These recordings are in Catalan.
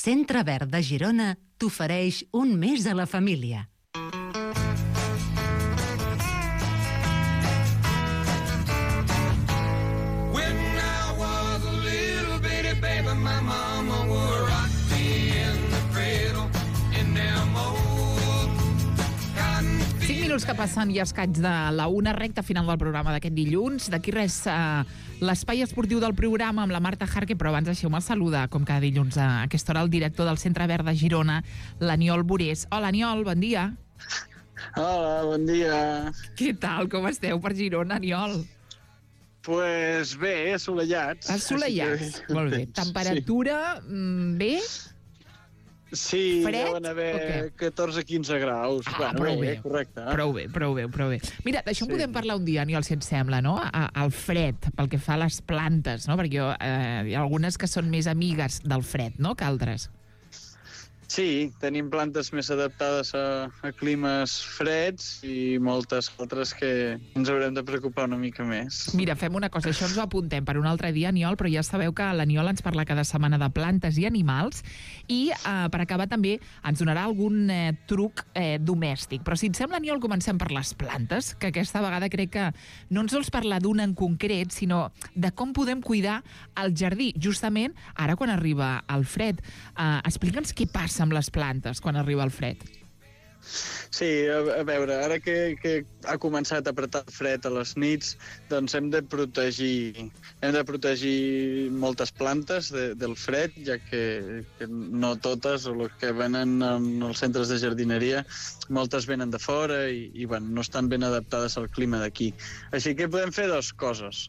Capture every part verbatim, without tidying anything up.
Centre Verd de Girona t'ofereix un mes a la família. cinc minuts que passen i escaig de la una, recta final del programa d'aquest dilluns. D'aquí res, eh, l'espai esportiu del programa amb la Marta Jarque, però abans deixeu-me saludar, com cada dilluns a aquesta hora, el director del Centre Verd de Girona, l'Aniol Burés. Hola, Aniol, bon dia. Hola, bon dia. Què tal, com esteu per Girona, Aniol? Pues bé, assolellats. Assolellats, que... molt bé. Temperatura, sí. Bé? Sí, fred? Deuen haver catorze a quinze graus. Ah, bueno, prou bé, bé, correcte. Eh? Prou bé, prou bé, prou bé. Mira, d'això en Sí. podem parlar un dia, Aniol, si et sembla, no? A, al fred, pel que fa a les plantes, no? Perquè jo, eh, hi ha algunes que són més amigues del fred, no?, que altres. Sí, tenim plantes més adaptades a, a climes freds i moltes altres que ens haurem de preocupar una mica més. Mira, fem una cosa, això ens ho apuntem per un altre dia, Aniol, però ja sabeu que l'Aniol ens parla cada setmana de plantes i animals i, eh, per acabar, també ens donarà algun eh, truc eh, domèstic. Però si et sembla, Aniol, comencem per les plantes, que aquesta vegada crec que no ens vols parlar d'una en concret, sinó de com podem cuidar el jardí, justament ara quan arriba el fred. Eh, Explica'ns què passa amb les plantes quan arriba el fred. Sí, a, a veure, ara que, que ha començat a apretar el fred a les nits, doncs hem de protegir, hem de protegir moltes plantes de, del fred, ja que, que no totes, o les que venen en els centres de jardineria, moltes venen de fora i, i bueno, no estan ben adaptades al clima d'aquí. Així que podem fer dues coses,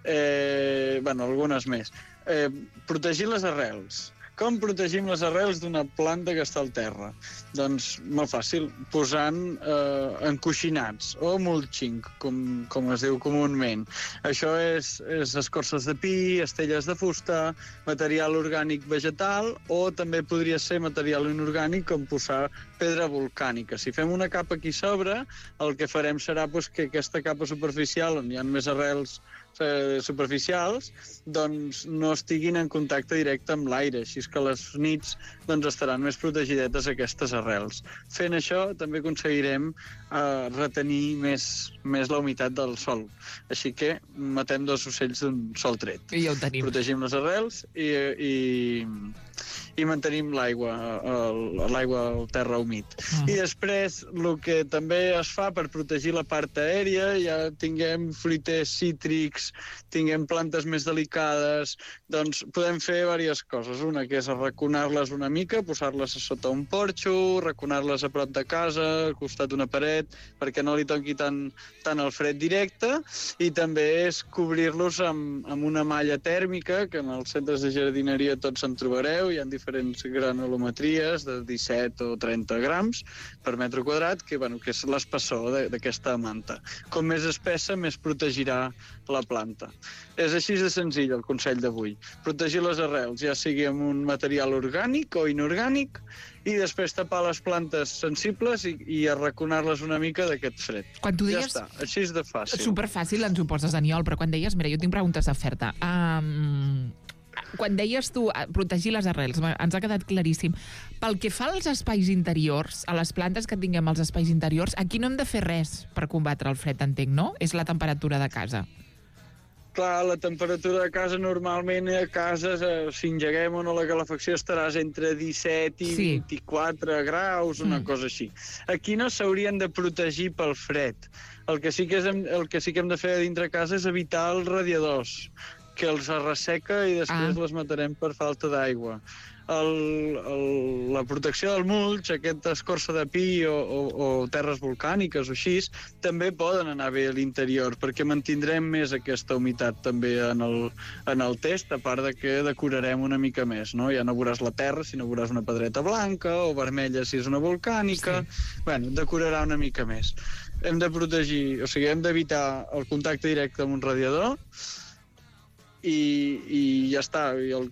eh, bueno, algunes més. Eh, protegir les arrels. Com protegim les arrels d'una planta que està al terra? Doncs molt fàcil, posant eh, encoixinats o mulching, com, com es diu comúment. Això és, és escorces de pi, estelles de fusta, material orgànic vegetal o també podria ser material inorgànic com posar pedra volcànica. Si fem una capa aquí sobre, el que farem serà pues, que aquesta capa superficial, on hi ha més arrels eh, superficials, doncs no estiguin en contacte directe amb l'aire, així que les nits doncs, estaran més protegidetes aquestes arrels. Fent això també aconseguirem eh, retenir més, més la humitat del sol. Així que matem dos ocells d'un sol tret. I ja ho tenim. Protegim les arrels i, i, i mantenim l'aigua, l'aigua al terra humit. Uh-huh. I després el que també es fa per protegir la part aèria, ja tinguem fruiters cítrics, tinguem plantes més delicades, doncs podem fer diverses coses. Una que és arraconar-les una mica, posar-les a sota un porxo, arraconar-les a prop de casa, al costat d'una paret, perquè no li toqui tant, tant el fred directe, i també és cobrir-los amb, amb una malla tèrmica, que en els centres de jardineria tots en trobareu, hi ha diferents granulometries de disset o trenta grams per metre quadrat, que, bueno, que és l'espessor d'aquesta manta. Com més espessa, més protegirà la planta. És així de senzill el consell d'avui. Protegir les arrels, ja sigui amb un material orgànic o inorgànic, i després tapar les plantes sensibles i, i arraconar-les una mica d'aquest fred. Quan tu deies... Ja està, així és de fàcil. Superfàcil ens ho poses, Aniol, però quan deies... Mira, jo tinc preguntes a fer-te. Um, quan deies tu protegir les arrels, ens ha quedat claríssim. Pel que fa als espais interiors, a les plantes que tinguem als espais interiors, aquí no hem de fer res per combatre el fred, entenc, no? És la temperatura de casa. Clar, la temperatura de casa normalment a cases, eh, si engeguem o no la calefacció, estaràs entre disset i sí. vint-i-quatre graus, una mm. cosa així. Aquí no s'haurien de protegir pel fred. El que sí que, és, el que sí que hem de fer a dintre casa és evitar els radiadors, que els resseca i després ah. les matarem per falta d'aigua. El, el, la protecció del mulch, aquesta escorça de pi o, o, o terres volcàniques o així, també poden anar bé a l'interior, perquè mantindrem més aquesta humitat també en el, en el test, a part de que decorarem una mica més, no? Ja no veuràs la terra, sinó veuràs una pedreta blanca o vermella si és una volcànica. Sí. Bueno, decorarà una mica més. Hem de protegir, o sigui, hem d'evitar el contacte directe amb un radiador, i, i ja està. I el,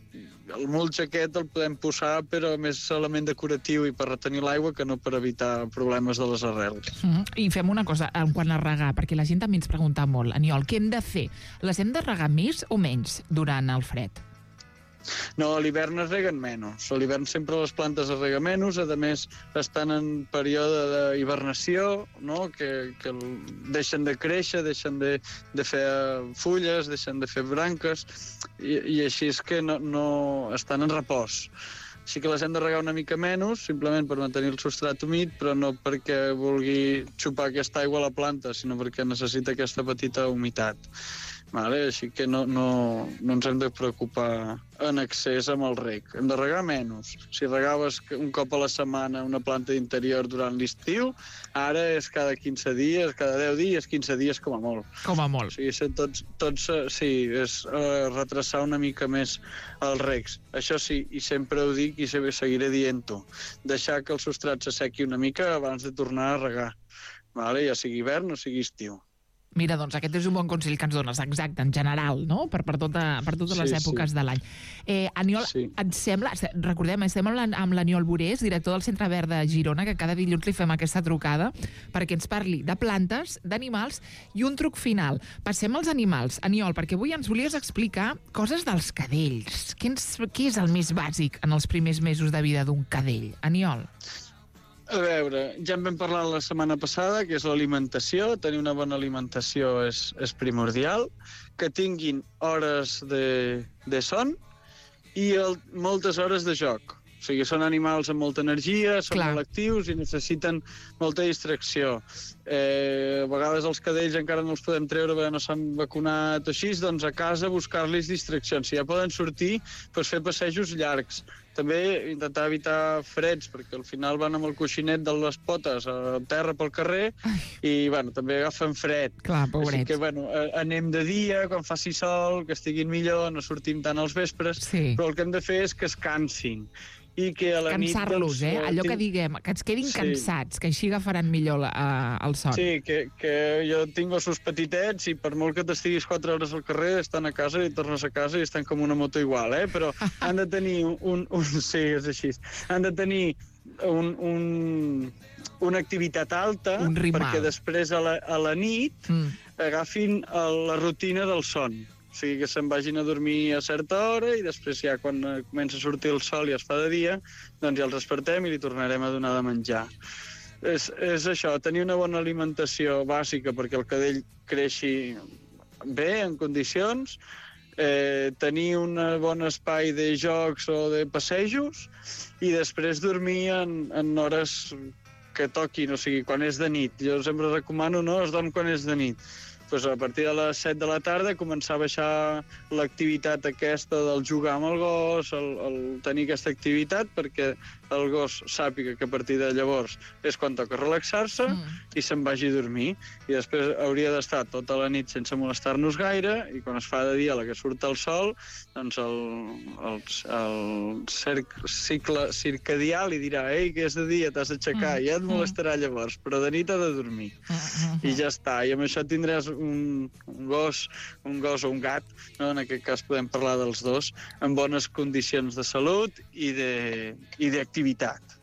el mulch aquest el podem posar però més element decoratiu i per retenir l'aigua que no per evitar problemes de les arrels. Mm-hmm. I fem una cosa, quan a regar, perquè la gent també ens pregunta molt, Aniol, què hem de fer? Les hem de regar més o menys durant el fred? No, a l'hivern es reguen menys. A l'hivern sempre les plantes es reguen menys, a més estan en període d'hibernació, no? que, que deixen de créixer, deixen de, de fer fulles, deixen de fer branques, i, i així és que no, no estan en repòs. Sí que les hem de regar una mica menys, simplement per mantenir el substrat humit, però no perquè vulgui xupar aquesta aigua a la planta, sinó perquè necessita aquesta petita humitat. Vale? Així que no, no, no ens hem de preocupar en excés amb el reg. Hem de regar menys. Si regaves un cop a la setmana una planta d'interior durant l'estiu, ara és cada quinze dies, cada deu dies, quinze dies com a molt. Com a molt. O sigui, tots, tots, sí, és uh, retrasar una mica més els regs. Això sí, i sempre ho dic i seguiré dient-ho, deixar que el substrat s'assequi una mica abans de tornar a regar. Vale? Ja sigui hivern o sigui estiu. Mira, doncs aquest és un bon consell que ens dones, exacte, en general, no? Per, per, tota, per totes les sí, èpoques sí. de l'any. Eh, Aniol, sí. et sembla, recordem, estem amb l'Aniol Borés, director del Centre Verd de Girona, que cada dilluns li fem aquesta trucada perquè ens parli de plantes, d'animals i un truc final. Passem als animals. Aniol, perquè avui ens volies explicar coses dels cadells. Què, ens, què és el més bàsic en els primers mesos de vida d'un cadell? Aniol. A veure, ja en vam parlar la setmana passada, que és l'alimentació. Tenir una bona alimentació és, és primordial. Que tinguin hores de, de son i el, moltes hores de joc. O sigui, són animals amb molta energia, són Clar. molt actius i necessiten molta distracció. Eh, a vegades els cadells encara no els podem treure perquè no s'han vacunat o així, doncs a casa buscar-los distraccions. Si ja poden sortir, doncs fer passejos llargs. També intentar evitar freds, perquè al final van amb el coixinet de les potes a terra pel carrer i, bueno, també agafen fred. Clar, pobrets. Així que, bueno, anem de dia, quan faci sol, que estiguin millor, no sortim tant als vespres, sí. però el que hem de fer és que es cansin. I que a la nit... Cansar-los, eh? Allò que diguem, que ens quedin sí. cansats, que així agafaran millor la, uh, el son. Sí, que, que jo tinc gossos petitets i per molt que t'estiguis quatre hores al carrer, estan a casa i tornes a casa i estan com una moto igual, eh? Però han de tenir un... un sí, és així. Han de tenir un, un, una activitat alta perquè després a la, a la nit mm. agafin la rutina del son. O sigui, que se'n vagin a dormir a certa hora i després ja quan comença a sortir el sol i es fa de dia, doncs ja els despertem i li tornarem a donar de menjar. És, és això, tenir una bona alimentació bàsica perquè el cadell creixi bé, en condicions, eh, tenir un bon espai de jocs o de passejos i després dormir en, en hores que toquin, o sigui, quan és de nit. Jo sempre recomano, no?, es dorm quan és de nit. Pues a partir de les set de la tarda començar a baixar l'activitat aquesta del jugar amb el gos, el, el tenir aquesta activitat perquè el gos sàpiga que a partir de llavors és quan toca relaxar-se mm. i se'n vagi a dormir. I després hauria d'estar tota la nit sense molestar-nos gaire i quan es fa de dia, a la que surt el sol, doncs el, el, el cerc, cicle circadià li dirà ei, que és de dia, t'has d'aixecar, mm. i ja et molestarà llavors, però de nit ha de dormir. Mm. I ja està. I amb això tindràs un, un gos, un gos o un gat, no? En aquest cas podem parlar dels dos, en bones condicions de salut i d'activitat.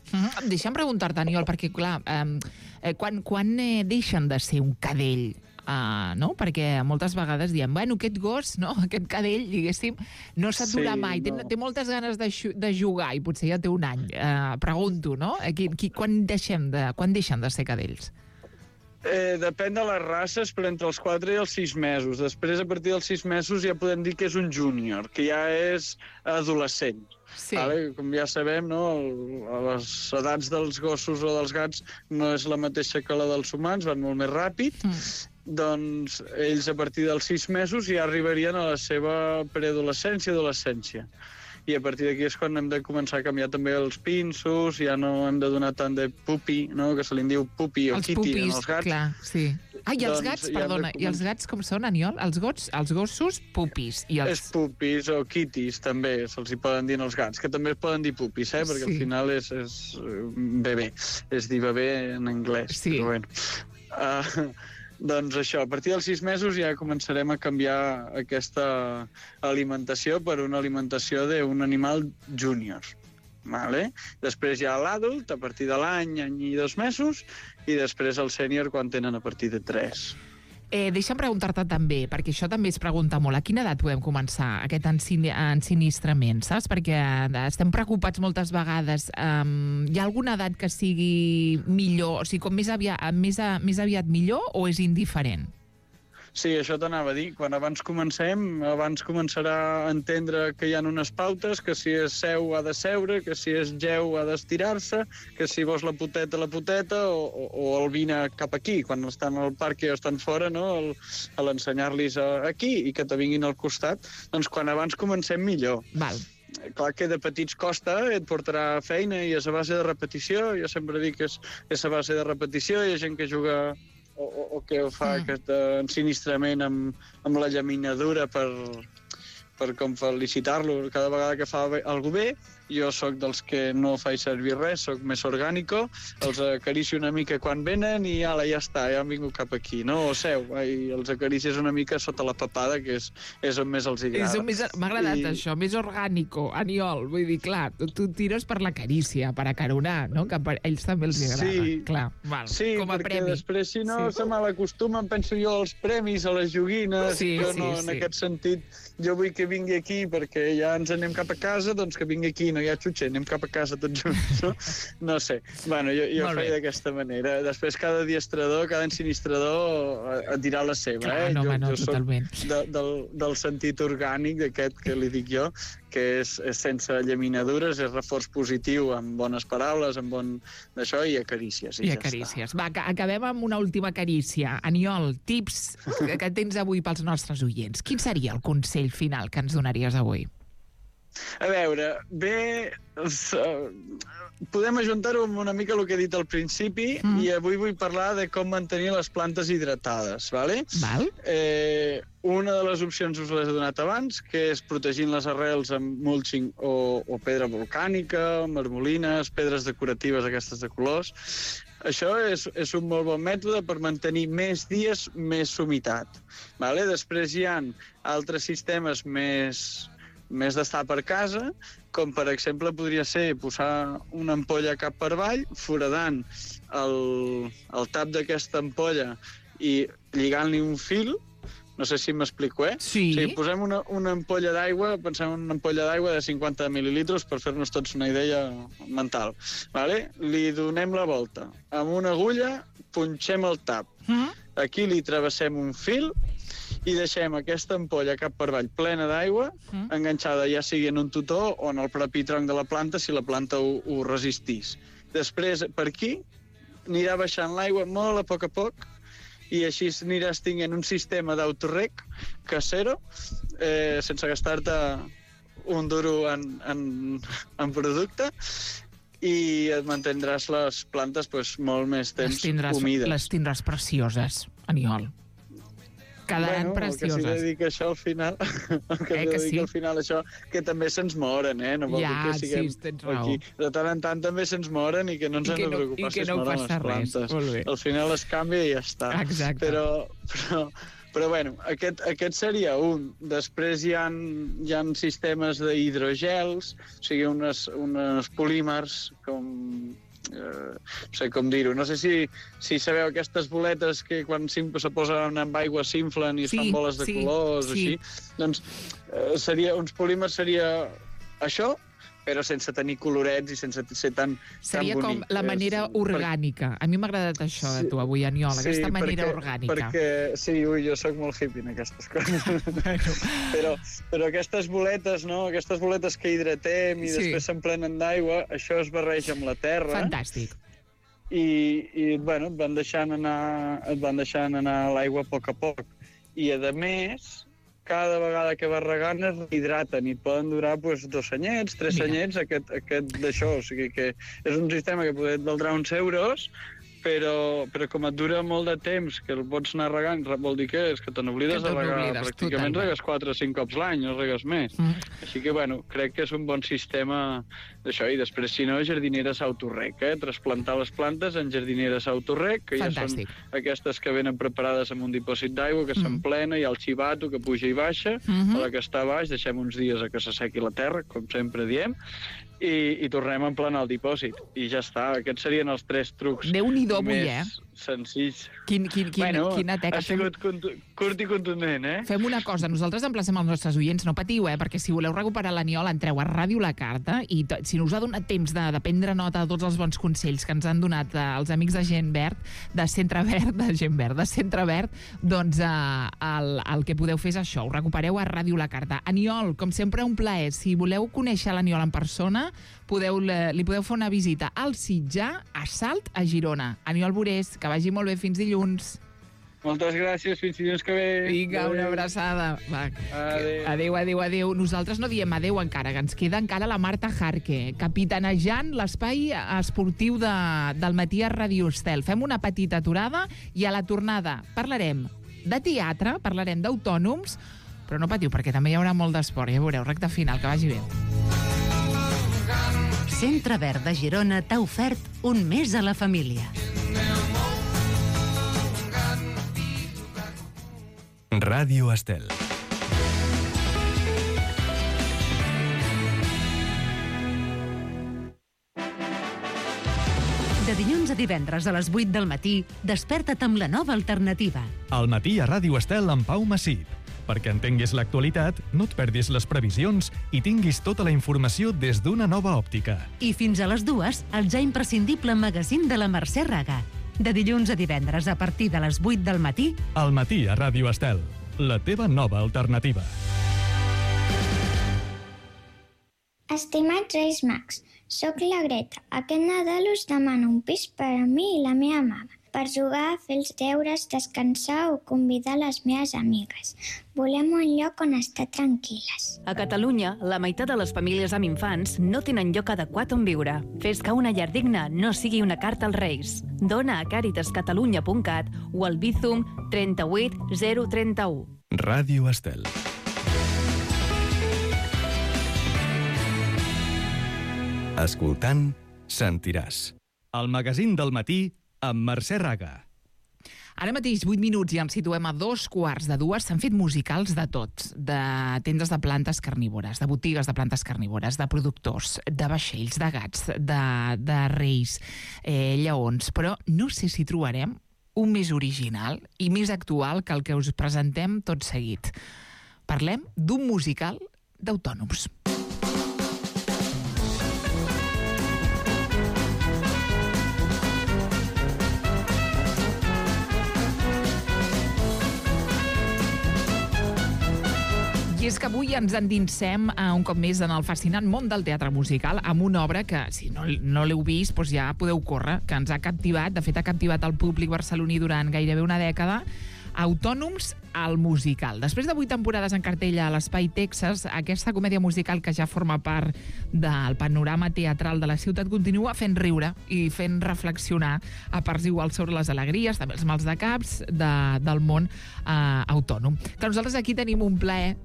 Mm-hmm. Deixa'm preguntar-te, Aniol, perquè, clar, eh, quan, quan eh, deixen de ser un cadell? Uh, no? Perquè moltes vegades diem, bueno, aquest gos, no? Aquest cadell, diguéssim, no s'atura sí, mai, té, no. té moltes ganes de, de jugar i potser ja té un any. Uh, pregunto, no? Qui, qui, quan, deixem de, quan deixen de ser cadells? Eh, depèn de les races, però entre els quatre i els sis mesos. Després, a partir dels sis mesos, ja podem dir que és un júnior, que ja és adolescent. Sí. Vale? Com ja sabem, no? A les edats dels gossos o dels gats no és la mateixa que la dels humans, van molt més ràpid. Mm. Doncs ells, a partir dels sis mesos, ja arribarien a la seva preadolescència i adolescència. I a partir d'aquí és quan hem de començar a canviar també els pinsos, ja no hem de donar tant de pupi, no? Que se li diu pupi o els kitty pupis, als gats. Clar, sí. Ah, i els doncs, gats, perdona, i els gats com són, Aniol? Els, gots, els gossos, pupis. I els... És pupis o kitties, també, se'ls hi poden dir als gats, que també es poden dir pupis, eh? Perquè sí. Al final és, és bebè, és dir bebè en anglès. Sí. Però bueno. Uh, Doncs això, a partir dels sis mesos ja començarem a canviar aquesta alimentació per una alimentació d'un animal júnior. Vale? Després hi ha l'adult, a partir de l'any, any i dos mesos, i després el sènior quan tenen a partir de tres. Eh, deixa'm preguntar-te també, perquè això també es pregunta molt, a quina edat podem començar aquest ensinistrament, saps? Perquè estem preocupats moltes vegades. Um, hi ha alguna edat que sigui millor, o sigui, com més aviat, més, a, més aviat millor, o és indiferent? Sí, això t'anava a dir. Quan abans comencem, abans començarà a entendre que hi ha unes pautes, que si és seu ha de seure, que si és geu ha d'estirar-se, que si vols la poteta, la poteta, o, o, o el vine cap aquí, quan estan al parc i estan fora, no? El, a l'ensenyar-los aquí i que te vinguin al costat. Doncs quan abans comencem, millor. Val. Clar que de petits costa, et portarà feina i és a base de repetició. Jo sempre dic que és, és a base de repetició. Hi ha gent que juga o, o, o que fa mm. aquest ensinistrament amb, amb la llaminadura per, per com felicitar-lo cada vegada que fa alguna bé. Jo sóc dels que no faig servir res, sóc més orgànico, els acaricio una mica quan venen i ala, ja està, ja han vingut cap aquí, no? O seu, i els acaricies una mica sota la papada, que és, és on més els agrada. M'ha agradat I... això, més orgànico, Aniol. Vull dir, clar, tu, tu tires per la carícia, per acaronar, no? Que a ells també els agrada. Sí, clar, val, sí com a perquè premi. després, si no, sí. se malacostumen, penso jo, als premis, a les joguines. Sí, jo sí, no, sí. en aquest sentit, jo vull que vingui aquí perquè ja ens anem cap a casa, doncs que vingui aquí, no hi ha xutxer, anem cap a casa tots junts, no? No sé. Bueno, jo, jo faig d'aquesta manera. Després, cada diestrador, cada ensinistrador et dirà la seva, Clar, eh? no, jo, no, jo totalment. soc de, del, del sentit orgànic d'aquest que li dic jo, que és, és sense llaminadures, és reforç positiu, amb bones paraules, amb bon d'això, i acarícies. I, I ja acarícies. Està. Va, acabem amb una última carícia. Aniol, tips que, que tens avui pels nostres oients. Quin seria el consell final que ens donaries avui? A veure, bé, podem ajuntar-ho amb una mica el que he dit al principi, mm. i avui vull parlar de com mantenir les plantes hidratades, ¿vale? Val. Eh, una de les opcions us les he donat abans, que és protegint les arrels amb mulching o, o pedra volcànica, marmolines, pedres decoratives aquestes de colors. Això és, és un molt bon mètode per mantenir més dies més humitat. Vale? Després hi ha altres sistemes més... més d'estar per casa, com per exemple podria ser posar una ampolla cap per avall, foradant el, el tap d'aquesta ampolla i lligant-li un fil. No sé si m'explico, eh? Sí. O sigui, posem una, una ampolla d'aigua, pensem en una ampolla d'aigua de cinquanta mil·lilitres per fer-nos tots una idea mental. Vale? Li donem la volta. Amb una agulla punxem el tap. Mm. Aquí li travessem un fil i deixem aquesta ampolla cap per avall plena d'aigua, mm. enganxada ja sigui en un tutó o en el propi tronc de la planta, si la planta ho, ho resistís. Després, per aquí, anirà baixant l'aigua molt a poc a poc, i així aniràs tinguent un sistema d'autorrec casero, eh, sense gastar-te un duro en, en, en producte, i et mantindràs les plantes pues, molt més temps les tindràs, humides. Les tindràs precioses, Aniol. Quedaran bueno, precioses. El que sí que dic això al final, el que, eh, que que dic sí? al final això, que també se'ns moren, eh? No vol ja, dir que siguem sí, tens raó. aquí. De tant en tant també se'ns moren i que no ens I hem de no, preocupar si es no moren les plantes. Res. Al final es canvia i ja està. Exacte. Però, però, però bueno, aquest, aquest seria un. Després hi ha, hi ha sistemes d'hidrogels, o sigui, unes, unes polímers com... Uh, no sé com dir-ho, no sé si, si sabeu aquestes boletes que quan se posen amb aigua s'inflen i es sí, fan boles de sí, colors, sí. així, doncs uh, seria, uns polímers seria això, però sense tenir colorets i sense ser tan, seria tan bonic. Com la manera és, orgànica. A mi m'ha agradat això de tu avui, Aniol, sí, aquesta manera perquè, orgànica. Perquè, sí, ui, jo sóc molt hippie en aquestes coses. Bueno. però, però aquestes boletes, no? Aquestes boletes que hidratem i sí. després s'emplenen d'aigua, això es barreja amb la terra. Fantàstic. I, i bueno, et van deixant anar, et van deixant anar l'aigua a poc a poc. I, a més, cada vegada que vas regant es rehidraten i et poden durar pues, dos anyets, tres Mira. anyets aquest, aquest d'això. O sigui que és un sistema que poder et valdrà uns euros, però, però com et dura molt de temps, que el pots anar regant, vol dir que és que te n'oblides de regar. Pràcticament totalment. Regues quatre o cinc cops l'any, no regues més. Mm. Així que, bueno, crec que és un bon sistema d'això. I després, si no, jardineres autorrec, eh? Trasplantar les plantes en jardineres autorrec, que Fantàstic. Ja són aquestes que venen preparades amb un dipòsit d'aigua, que mm. s'emplena, i el xivato, que puja i baixa. Mm -hmm. A la que està baix, deixem uns dies a que s'assequi la terra, com sempre diem, i, i tornem a emplenar el dipòsit. I ja està. Aquests serien els tres trucs Déu-n'hi-do avui, més eh? senzills. Quin, quin, quin, bueno, quina teca. ha sigut curt i contundent, eh? Fem una cosa, nosaltres emplacem els nostres oients, no patiu, eh? Perquè si voleu recuperar l'Aniol, entreu a Ràdio La Carta i to, si no us ha donat temps de, de prendre nota de tots els bons consells que ens han donat eh, els amics de Gent Verd, de Centre Verd, de Gent Verd, de Centre Verd, doncs eh, el, el que podeu fer és això, ho recupereu a Ràdio La Carta. Aniol, com sempre, un plaer. Si voleu conèixer l'Aniol en persona, podeu, li podeu fer una visita al Sitjar, a Salt, a Girona. Aniol Burés, que vagi molt bé, fins dilluns. Moltes gràcies, fins dilluns que ve. Vinga, una abraçada. Va. Adéu. Adéu, adéu, adéu. Nosaltres no diem adéu encara, que ens queda encara la Marta Jarque, capitanejant l'espai esportiu de, del matí a Ràdio Estel. Fem una petita aturada i a la tornada parlarem de teatre, parlarem d'autònoms, però no patiu, perquè també hi haurà molt d'esport. Ja veureu, recte final, que vagi bé. Centre Verd de Girona t'ha ofert un mes a la família. Ràdio Estel. De dilluns a divendres a les vuit del matí, desperta't amb la nova alternativa. Al matí a Ràdio Estel amb Pau Massip. Perquè entenguis l'actualitat, no et perdis les previsions i tinguis tota la informació des d'una nova òptica. I fins a les dues, el ja imprescindible magazín de la Mercè Raga. De dilluns a divendres a partir de les vuit del matí. Al matí a Ràdio Estel, la teva nova alternativa. Estimats Reis Mags, soc la Greta. Aquest Nadal us demano un pis per a mi i la meva mama, per jugar, fer els deures, descansar o convidar les meves amigues. Volem un lloc on estar tranquil·les. A Catalunya, la meitat de les famílies amb infants no tenen lloc adequat on viure. Fes que una llar digna no sigui una carta als Reis. Dona a càritas catalunya punt cat o al Bizum trenta-vuit zero trenta-u. Ràdio Estel. Escoltant, sentiràs. El magazín del matí amb Mercè Raga. Ara mateix, vuit minuts, i ens situem a dos quarts de dues. S'han fet musicals de tots, de tendes de plantes carnívores, de botigues de plantes carnívores, de productors, de vaixells, de gats, de, de reis, eh, lleons. Però no sé si trobarem un més original i més actual que el que us presentem tot seguit. Parlem d'un musical d'autònoms. I és que avui ens endinsem a un cop més en el fascinant món del teatre musical amb una obra que, si no, no l'heu vist, doncs ja podeu córrer, que ens ha captivat, de fet ha captivat el públic barceloní durant gairebé una dècada, Autònoms, el musical. Després de vuit temporades en cartell a l'Espai Texas, aquesta comèdia musical que ja forma part del panorama teatral de la ciutat continua fent riure i fent reflexionar a parts iguals sobre les alegries, també els mals de caps de, del món eh, autònom. Que nosaltres aquí tenim un plaer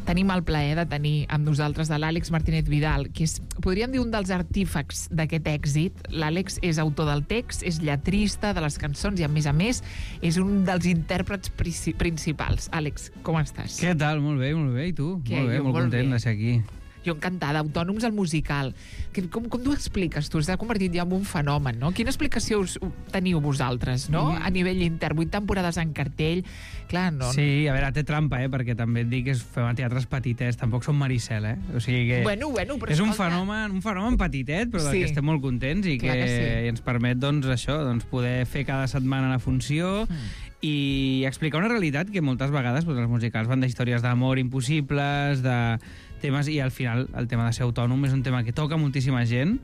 Tenim el plaer de tenir amb nosaltres de l'Àlex Martínez Vidal, que és, podríem dir, un dels artífex d'aquest èxit. L'Àlex és autor del text, és lletrista de les cançons i, a més a més, és un dels intèrprets principals. Àlex, com estàs? Què tal? Molt bé, molt bé. I tu? Què? Molt bé, Jo, molt, molt content bé. de ser aquí. Jo encantada. Autònoms, el musical. Que, com, com t'ho expliques tu? S'ha convertit ja en un fenomen, no? Quina explicació us, teniu vosaltres, no? Mm. A nivell intern, vuit temporades en cartell. Clar, no... Sí, a veure, té trampa, eh? Perquè també et dic que fem a teatres petitets, tampoc som Maricel, eh? O sigui que... Bueno, bueno, però és un escolta... fenomen, un fenomen petitet, però del Sí. que estem molt contents i que, Clar que sí. i ens permet, doncs, això, doncs, poder fer cada setmana la funció Mm. i explicar una realitat que moltes vegades doncs, els musicals van d'històries d'amor impossibles, de temes, i al final el tema de ser autònom és un tema que toca moltíssima gent.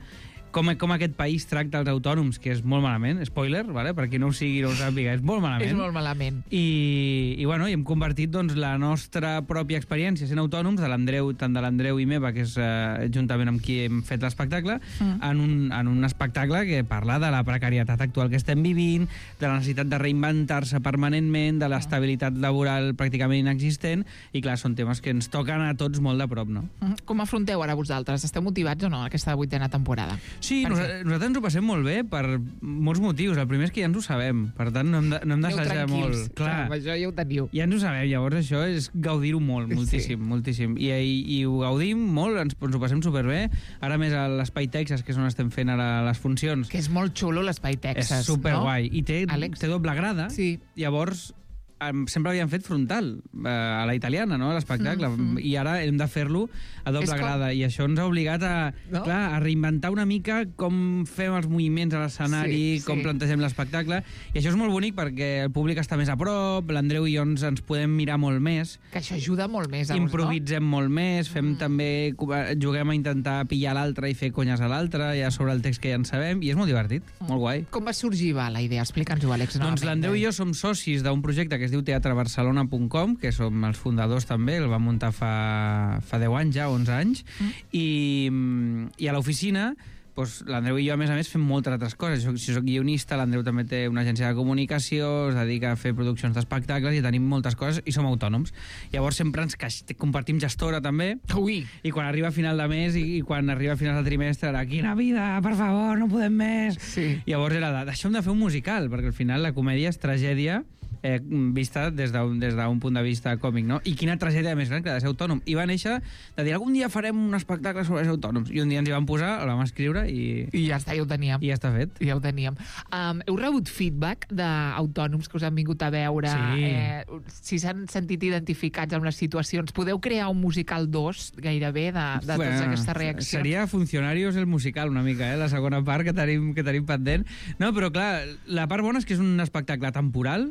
Com, com aquest país tracta els autònoms, que és molt malament, spoiler, vale? Per qui no ho sigui no ho sàpiga, és molt malament. És molt malament. I, i, bueno, i hem convertit doncs, la nostra pròpia experiència sent autònoms, de l'Andreu, tant de l'Andreu i meva, que és eh, juntament amb qui hem fet l'espectacle, Mm. en, un, en un espectacle que parla de la precarietat actual que estem vivint, de la necessitat de reinventar-se permanentment, de l'estabilitat laboral pràcticament inexistent, i clar, són temes que ens toquen a tots molt de prop, no? Mm. Com afronteu ara vosaltres? Esteu motivats o no aquesta vuitena temporada? Sí, Per nos què? nosaltres ens ho passem molt bé per molts motius. El primer és que ja ens ho sabem, per tant no hem de- no hem Aneu d'assajar tranquils. molt. Clar, Amb això ja ho teniu. ja ens ho sabem, llavors això és gaudir-ho molt, moltíssim, Sí. moltíssim. I, i, I ho gaudim molt, ens, ens ho passem superbé. Ara més a l'Espai Texas, que és on estem fent ara les funcions, Que és molt xulo l'Espai Texas, és superguai. no? I té, Àlex? té doble grada, Sí. llavors em- sempre havíem fet frontal, eh, a la italiana, no?, l'espectacle, Mhm. i ara hem de fer-lo a doble És com- grada, i això ens ha obligat a, No? clar, a reinventar una mica com fem els moviments a l'escenari, Sí, sí. com plantegem l'espectacle, i això és molt bonic perquè el públic està més a prop, l'Andreu i jo ens, ens podem mirar molt més, Que això ajuda molt més. Aus, improvisem molt més, fem Mm. també, juguem a intentar pillar l'altre i fer conyes a l'altre, ja sobre el text que ja en sabem, i és molt divertit, molt guai. no? Com va sorgir, va, la idea? Explica'ns-ho, Àlex. Doncs l'Andreu i jo som socis d'un projecte que es diu teatre barcelona punt com, que som els fundadors també, el vam muntar fa, fa deu anys ja, onze anys, Mm. i, i a l'oficina doncs, l'Andreu i jo, a més a més, fem moltes altres coses. Jo, si soc guionista, l'Andreu també té una agència de comunicació, es dedica a fer produccions d'espectacles i tenim moltes coses i som autònoms. Llavors sempre ens caix, compartim gestora també, Ui, i quan arriba a final de mes i, i quan arriba a final de trimestre era quina vida, per favor, no podem més. sí. Llavors era de, deixem de fer un musical, perquè al final la comèdia és tragèdia eh, vista des d'un des d'un punt de vista còmic, no? I quina tragèdia més gran que de ser autònom. I va néixer de dir, algun dia farem un espectacle sobre ser autònoms. I un dia ens hi vam posar, el vam escriure i, I ja està, ja ho teníem. i ja està fet. Ja ho teníem. Um, heu rebut feedback d'autònoms que us han vingut a veure? Sí. Eh, si s'han sentit identificats amb les situacions. Podeu crear un musical dos, gairebé, de, de Bueno, totes aquestes reaccions? Seria Funcionarios el musical una mica, eh? La segona part que tenim, que tenim pendent. No, però clar, la part bona és que és un espectacle temporal,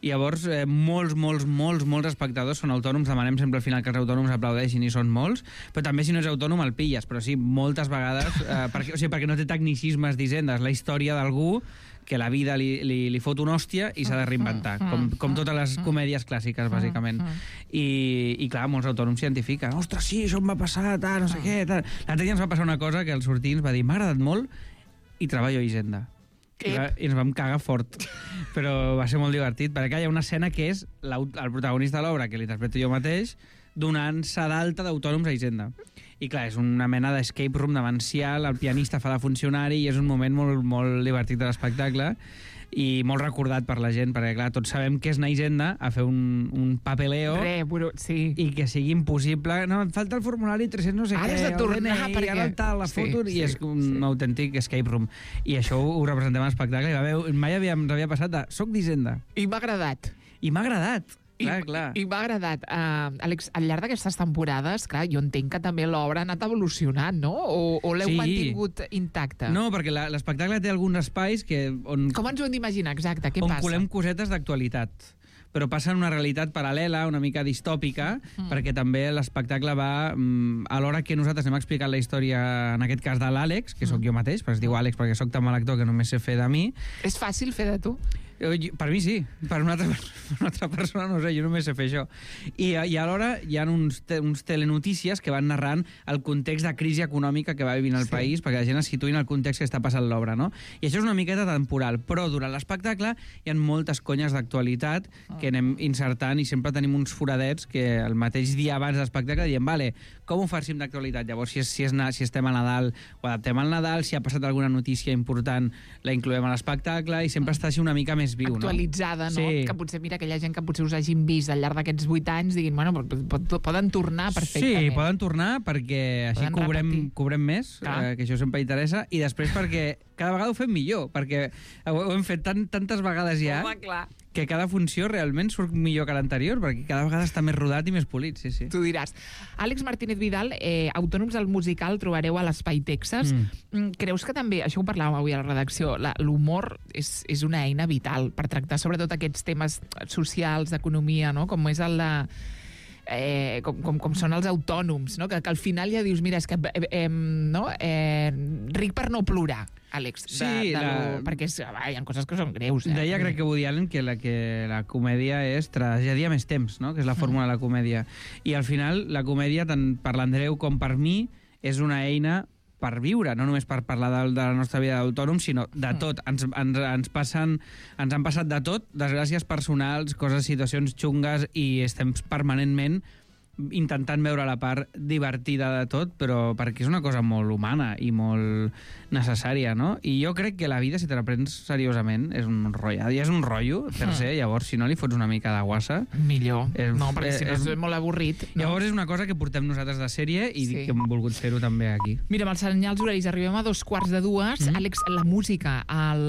i llavors eh, molts, molts, molts, molts espectadors són autònoms, demanem sempre al final que els autònoms aplaudeixin i són molts, però també si no ets autònom el pilles, però sí, moltes vegades, eh, perquè, o sigui, perquè no té tecnicismes d'hisendes, la història d'algú que la vida li, li, li fot una hòstia i s'ha de reinventar, com, com totes les comèdies clàssiques, bàsicament. I, i clar, molts autònoms s'identifiquen. Ostres, sí, això em va passar, tal, no sé què, tal. L'altre dia ens va passar una cosa que el sortí ens va dir, m'ha agradat molt i treballo a Hisenda. I, va, I ens vam cagar fort, però va ser molt divertit, perquè hi ha una escena que és el protagonista de l'obra, que l'interpreto jo mateix, donant-se d'alta d'autònoms a Hisenda. I clar, és una mena d'escape room demencial, el pianista fa de funcionari i és un moment molt, molt divertit de l'espectacle i molt recordat per la gent, perquè clar, tots sabem que és anar a Hisenda a fer un, un papeleo Re, bro, sí. i que sigui impossible. No, et falta el formulari tres cents no sé Ara què, has de el tornar, D N I, perquè- ara el tal, la Sí, foto, sí, i és un sí. autèntic escape room. I això ho, ho representem a l'espectacle, i va haver, mai havia, ens havia passat de soc d'Hisenda. I m'ha agradat. I m'ha agradat. I, Clar, clar. I m'ha agradat. Uh, Àlex, al llarg d'aquestes temporades, clar, jo entenc que també l'obra ha anat evolucionant, no? O, o l'heu Sí. mantingut intacta? No, perquè la- l'espectacle té alguns espais que, on, Com ens ho hem d'imaginar, exacte? Què on passa? colem cosetes d'actualitat, però passa en una realitat paral·lela, una mica distòpica, mm. perquè també l'espectacle va, mm, alhora que nosaltres hem explicat la història, en aquest cas de l'Àlex, que sóc jo mateix, però es diu Àlex perquè sóc tan mal actor que només sé fer de mi. És fàcil fer de tu? Jo- jo- Per mi sí, per una altra, per una altra persona no sé, jo només sé fer això. I, i alhora hi ha uns, te, uns telenotícies que van narrant el context de crisi econòmica que va vivint el Sí. país, perquè la gent es situï en el context que està passant l'obra, no? I això és una miqueta temporal, però durant l'espectacle hi ha moltes conyes d'actualitat que anem insertant i sempre tenim uns foradets que el mateix dia abans de l'espectacle diem, vale, com ho farcim d'actualitat? Llavors, si, és, si, és, na- si estem a Nadal, ho adaptem al Nadal, si ha passat alguna notícia important, la incloem a l'espectacle i sempre està així una mica més viu, Actualitzada, no? Sí. Que potser, mira, aquella gent que potser us hagin vist al llarg d'aquests vuit anys diguin, bueno, pot, pot, poden tornar perfectament. Sí, poden tornar perquè així Poden cobrem, repetir. cobrem més, Clar. eh, que això sempre interessa, i després perquè cada vegada ho fem millor, perquè ho, ho hem fet tan, tantes vegades ja Home, clar. que cada funció realment surt millor que l'anterior, perquè cada vegada està més rodat i més polit, sí, sí. Tu diràs. Àlex Martínez Vidal, eh, autònoms al musical trobareu a l'Espai Texas. Mm. Mm. Creus que també, això ho parlàvem avui a la redacció, la- l'humor és, és una eina vital per tractar sobretot aquests temes socials, d'economia, no? Com és el de... Eh, com, com, com són els autònoms, no? que, que al final ja dius, mira, és que eh, eh, no? eh, ric per no plorar, Àlex, de, Sí, de la- lo, perquè és, va, hi ha coses que són greus. Eh? Deia, crec que Woody Allen, que la, que la comèdia és tragèdia més temps, no? Que és la fórmula de la comèdia. I al final, la comèdia, tant per l'Andreu com per mi, és una eina per viure, no només per parlar de, de la nostra vida d'autònom, sinó de tot. Ens, ens, ens, passen, ens han passat de tot, desgràcies personals, coses, situacions xungues, i estem permanentment intentant veure la part divertida de tot, però perquè és una cosa molt humana i molt necessària, no? I jo crec que la vida, si te la prens seriosament, és un rotllo. Ja és un rotllo, per ser, llavors, si no li fots una mica de guassa... Millor. És, no, perquè si no és, és molt avorrit. No? Llavors és una cosa que portem nosaltres de sèrie i sí. que hem volgut fer-ho també aquí. Mira, amb els senyals horaris arribem a dos quarts de dues. Mm. Àlex, la música, el,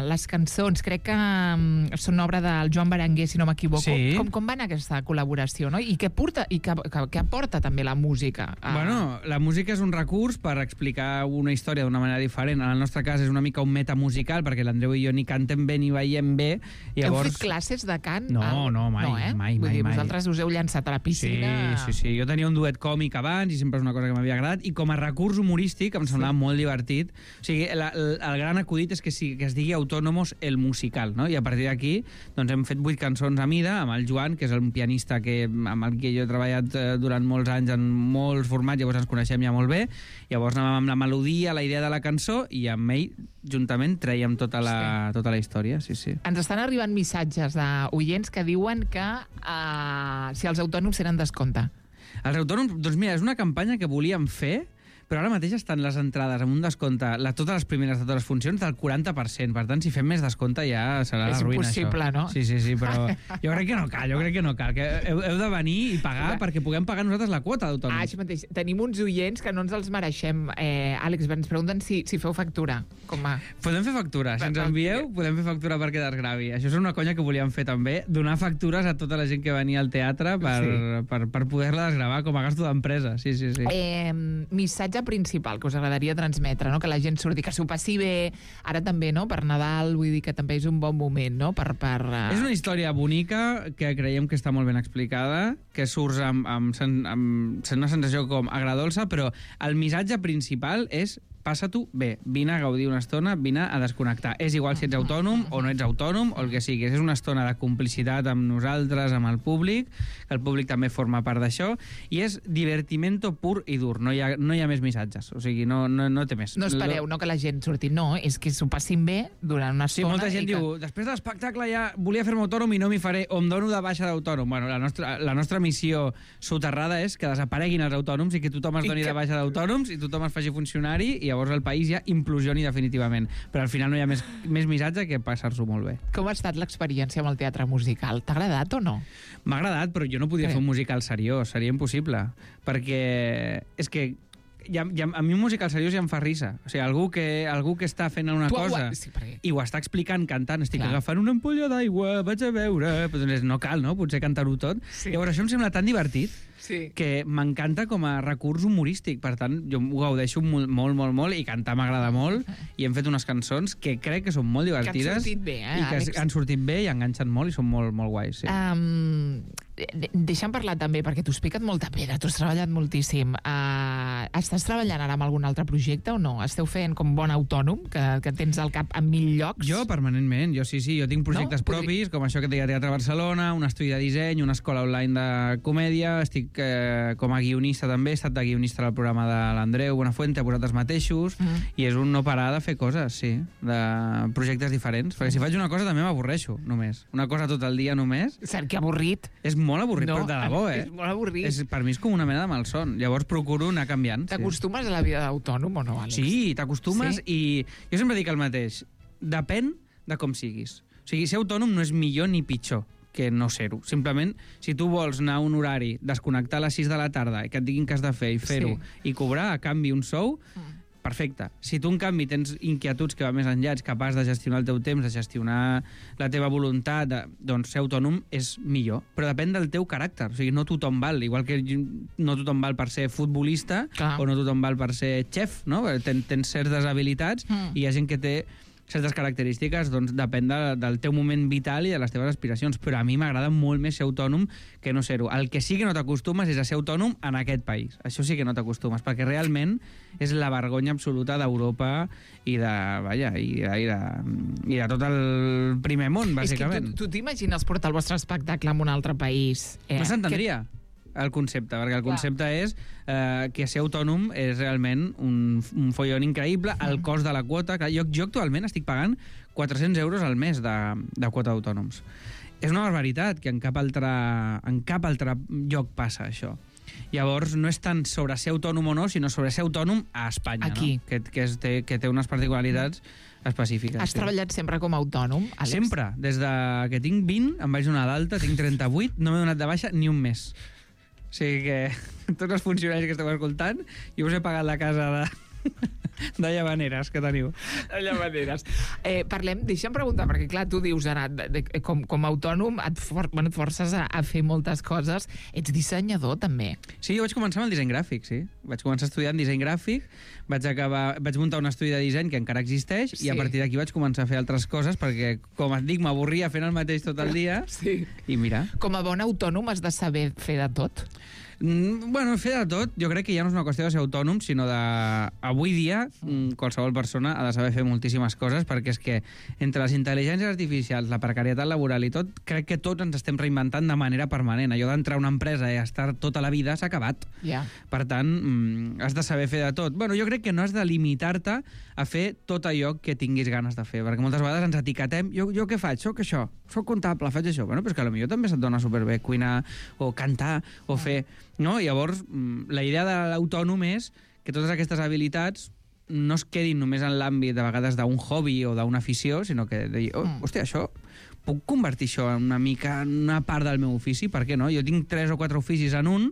les cançons, crec que um, són obra del Joan Berenguer, si no m'equivoco. Sí. Com, com va anar aquesta col·laboració, no? I què porta, i què, que, que aporta també la música? A... Bueno, la música és un recurs per explicar una història d'una manera diferent. En el nostre cas és una mica un metamusical, perquè l'Andreu i jo ni cantem bé ni veiem bé. Llavors... Heu fet classes de cant? No, al... no, mai, no, eh? mai, Vull mai, dir, mai. Vosaltres us heu llançat a la piscina... Sí, sí, sí. Jo tenia un duet còmic abans i sempre és una cosa que m'havia agradat, i com a recurs humorístic em semblava sí. molt divertit. O sigui, la, el, el gran acudit és que, sí, que es digui Autónomos el musical, no? I a partir d'aquí doncs, hem fet vuit cançons a mida amb el Joan, que és un pianista que, amb el que jo he treballat eh, durant molts anys en molts formats, llavors ens coneixem ja molt bé. Llavors anàvem amb la melodia, la idea de la cançó, i amb ell, juntament, traiem tota la, sí. tota la història. Sí, sí. Ens estan arribant missatges d'oients que diuen que uh, si els autònoms tenen descompte. Els autònoms, doncs mira, és una campanya que volíem fer, però ara mateix estan les entrades amb un descompte, la, totes les primeres de totes les funcions, del quaranta per cent. Per tant, si fem més descompte ja serà és la ruïna, impossible, això. no? Sí, sí, sí, però jo crec que no cal, jo crec que no cal. Que heu, heu de venir i pagar Clar. perquè puguem pagar nosaltres la quota d'autònoms. Ah, això mateix. Tenim uns oients que no ens els mereixem. Eh, Àlex, ens pregunten si, si feu factura. Com va? Podem fer factura. Si ens envieu, podem fer factura perquè desgravi. Això és una conya que volíem fer també, donar factures a tota la gent que venia al teatre per, sí. per, per poder-la desgravar com a gasto d'empresa. Sí, sí, sí. Eh, missatge principal que us agradaria transmetre, no? Que la gent surti, que s'ho passi bé, ara també, no? Per Nadal, vull dir que també és un bon moment, no? Per, per, uh... És una història bonica, que creiem que està molt ben explicada, que surts amb, amb, amb, amb una sensació com agradolça, però el missatge principal és passa-t'ho bé, vine a gaudir una estona, vine a desconnectar. És igual si ets autònom o no ets autònom o el que sigui. És una estona de complicitat amb nosaltres, amb el públic, que el públic també forma part d'això, i és divertimento pur i dur. No hi ha, no hi ha més missatges. O sigui, no, no, no té més. No espereu, no, que la gent surti. No, és que s'ho passin bé durant una estona. Sí, molta gent que... diu, després de l'espectacle ja volia fer-me autònom i no m'hi faré, o em dono de baixa d'autònom. Bueno, la nostra, la nostra missió soterrada és que desapareguin els autònoms i que tothom es doni que... de baixa d'autònoms i tothom es faci funcionari, i llavors el país ja implosioni definitivament. Però al final no hi ha més, més missatge que passar-s'ho molt bé. Com ha estat l'experiència amb el teatre musical? T'ha agradat o no? M'ha agradat, però jo no podia sí. fer un musical seriós. Seria impossible. Perquè és que ja, ja, a mi un musical seriós ja em fa risa. O sigui, algú que, algú que està fent una tu cosa sí, perquè... i ho està explicant cantant, estic Clar. agafant una ampolla d'aigua, vaig a veure... Doncs no cal, no? Potser cantar-ho tot. Sí. Llavors això em sembla tan divertit sí. que m'encanta com a recurs humorístic. Per tant, jo ho gaudeixo molt, molt, molt, molt, i cantar m'agrada molt, i hem fet unes cançons que crec que són molt divertides. Que han sortit bé, eh, i que Àlex? han sortit bé i enganxen molt i són molt, molt guais. Sí. Um, deixa'm parlar també, perquè t'ho has picat molta pedra, tu has treballat moltíssim. Uh, estàs treballant ara amb algun altre projecte o no? Esteu fent com bon autònom, que, que tens al cap a mil llocs? Jo, permanentment. Jo sí, sí. Jo tinc projectes no? propis, com això que et deia Teatre Barcelona, un estudi de disseny, una escola online de comèdia. Estic eh, com a guionista també, he estat de guionista del programa de l'Andreu Buenafuente, a vosaltres mateixos, mm. i és un no parar de fer coses, sí, de projectes diferents. Perquè si faig una cosa també m'avorreixo, només. Una cosa tot el dia només. Cert, que avorrit. És molt avorrit, no, però de debò, eh? És molt avorrit. És, per mi és com una mena de malson. Llavors procuro anar canviant. T'acostumes sí. a la vida d'autònom o no, Àlex? Sí, t'acostumes, sí? I jo sempre dic el mateix. Depèn de com siguis. O sigui, ser autònom no és millor ni pitjor que no ser-ho. Simplement, si tu vols anar a un horari, desconnectar a les sis de la tarda i que et diguin què has de fer i fer-ho, sí. i cobrar a canvi un sou, mm. perfecte. Si tu, en canvi, tens inquietuds que va més enllà, ets capaç de gestionar el teu temps, de gestionar la teva voluntat, de, doncs ser autònom és millor. Però depèn del teu caràcter. O sigui, no tothom val. Igual que no tothom val per ser futbolista, Clar. o no tothom val per ser xef, no? Ten, tens certes habilitats mm. i hi ha gent que té certes característiques, doncs depèn de, del teu moment vital i de les teves aspiracions. Però a mi m'agrada molt més ser autònom que no ser-ho. El que sí que no t'acostumes és a ser autònom en aquest país. Això sí que no t'acostumes, perquè realment és la vergonya absoluta d'Europa i de, vaja, i de, i de, i de tot el primer món, bàsicament. És que tu, tu t'imagines portar el vostre espectacle en un altre país? Eh, no s'entendria. Que... el concepte, perquè el concepte Clar. és eh, que ser autònom és realment un, un follon increïble, el cost de la quota, que jo, jo actualment estic pagant quatre-cents euros al mes de, de quota d'autònoms. És una barbaritat, que en cap altre, en cap altre lloc passa això. Llavors, no és tant sobre ser autònom o no, sinó sobre ser autònom a Espanya, Aquí. no? Que, que, és, té, que té unes particularitats específiques. Has sí. treballat sempre com a autònom, Àlex? Sempre. Des de que tinc vint, em vaig donar d'alta, tinc trenta-vuit, no m'he donat de baixa ni un mes. O sigui que tots els funcionaris que esteu escoltant, jo us he pagat la casa de... de llavaneres que teniu. De llavaneres. Eh, parlem, deixa'm preguntar, perquè clar, tu dius ara, de, de, com, com a autònom et, for, bueno, et forces a, a fer moltes coses. Ets dissenyador, també. Sí, jo vaig començar amb el disseny gràfic, sí. Vaig començar estudiant disseny gràfic, vaig, acabar, vaig muntar un estudi de disseny que encara existeix, sí. I a partir d'aquí vaig començar a fer altres coses, perquè, com et dic, m'avorria fent el mateix tot el dia. Sí. I mira... Com a bon autònom has de saber fer de tot? Mm, bueno, fer de tot, jo crec que ja no és una qüestió de ser autònom, sinó de... Avui dia, mm, qualsevol persona ha de saber fer moltíssimes coses, perquè és que entre les intel·ligències artificials, la precarietat laboral i tot, crec que tots ens estem reinventant de manera permanent. Allò d'entrar a una empresa i estar tota la vida s'ha acabat. Yeah. Per tant, mm, has de saber fer de tot. Bueno, jo crec que no has de limitar-te a fer tot allò que tinguis ganes de fer, perquè moltes vegades ens etiquetem, jo, jo què faig? Soc això, soc comptable, faig això. Bueno, però és que potser també se't dona superbé cuinar o cantar o fer... No? Llavors, la idea de l'autònom és que totes aquestes habilitats no es quedin només en l'àmbit de vegades d'un hobby o d'una afició, sinó que de dir, oh, hòstia, això, puc convertir això en una mica en una part del meu ofici? Per què no? Jo tinc tres o quatre oficis en un,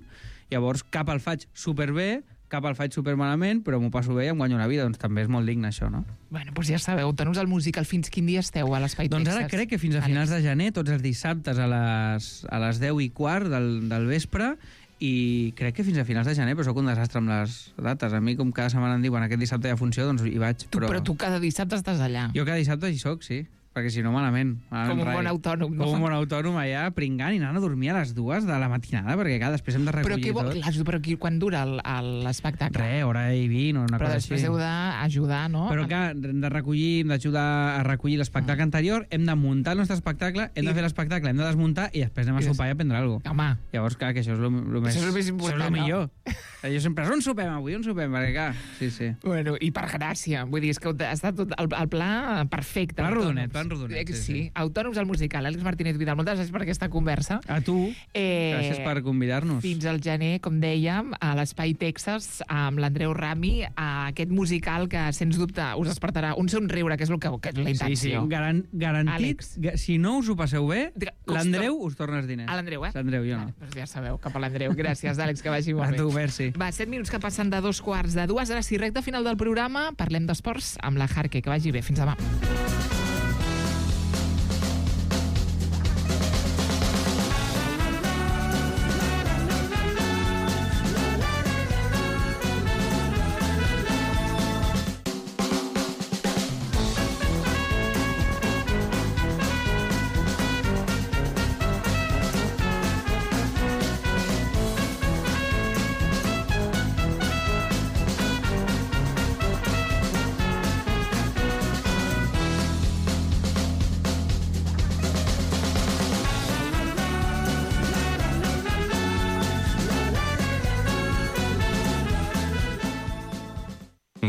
llavors cap el faig superbé, cap el faig supermalament, però m'ho passo bé i em guanyo la vida, doncs també és molt digne això, no? Bueno, doncs ja sabeu, autònoms al musical, fins quin dia esteu a l'Espai Doncs Texas? ara crec que fins a finals de gener, tots els dissabtes a les, a les deu i quart del, del vespre, i crec que fins a finals de gener, però sóc un desastre amb les dates. A mi, com cada setmana em diuen aquest dissabte hi ha funció, doncs hi vaig. Tu, però... però tu cada dissabte estàs allà. Jo cada dissabte hi soc, sí. Perquè si no, malament. Com un bon autònom, no? Com un bon autònom allà, pringant i anant a dormir a les dues de la matinada, perquè clar, després hem de recollir però tot. Clar, però aquí, quan dura l'espectacle? Re, hora i vint o una però cosa així. Però després heu d'ajudar, no? Però clar, hem de recollir, hem d'ajudar a recollir l'espectacle mm. anterior, hem de muntar el nostre espectacle, hem I... de fer l'espectacle, hem de desmuntar i després anem a sopar i a prendre alguna cosa. Home. Llavors, clar, que això és el més... Això és el més important, això és el millor. No? Jo sempre, on sopem avui? On sopem? Perquè clar, sí, sí. Bueno, i per gràcia. Vull dir, és que ha estat tot el, el pla perfecte. Plan rodonet, plan rodonet. Sí, sí. Autònoms al musical. Àlex Martínez Vidal, moltes gràcies per aquesta conversa. A tu, eh, gràcies per convidar-nos. Fins al gener, com dèiem, a l'Espai Texas, amb l'Andreu Rami, a aquest musical que, sens dubte, us despertarà un somriure, que és, el que, que és la intenció. Sí, sí, Garan garantit. Ga si no us ho passeu bé, l'Andreu us torna els diners. A l'Andreu, eh? L'Andreu, jo no. Vale, doncs ja sabeu, cap a l'Andreu. Gràcies, Àlex, que vagi molt bé. A tu, merci. Va, set minuts que passen de dos quarts de dues. Ara sí, recte final del programa, parlem d'esports amb la Jarque. Que vagi bé. Fins demà.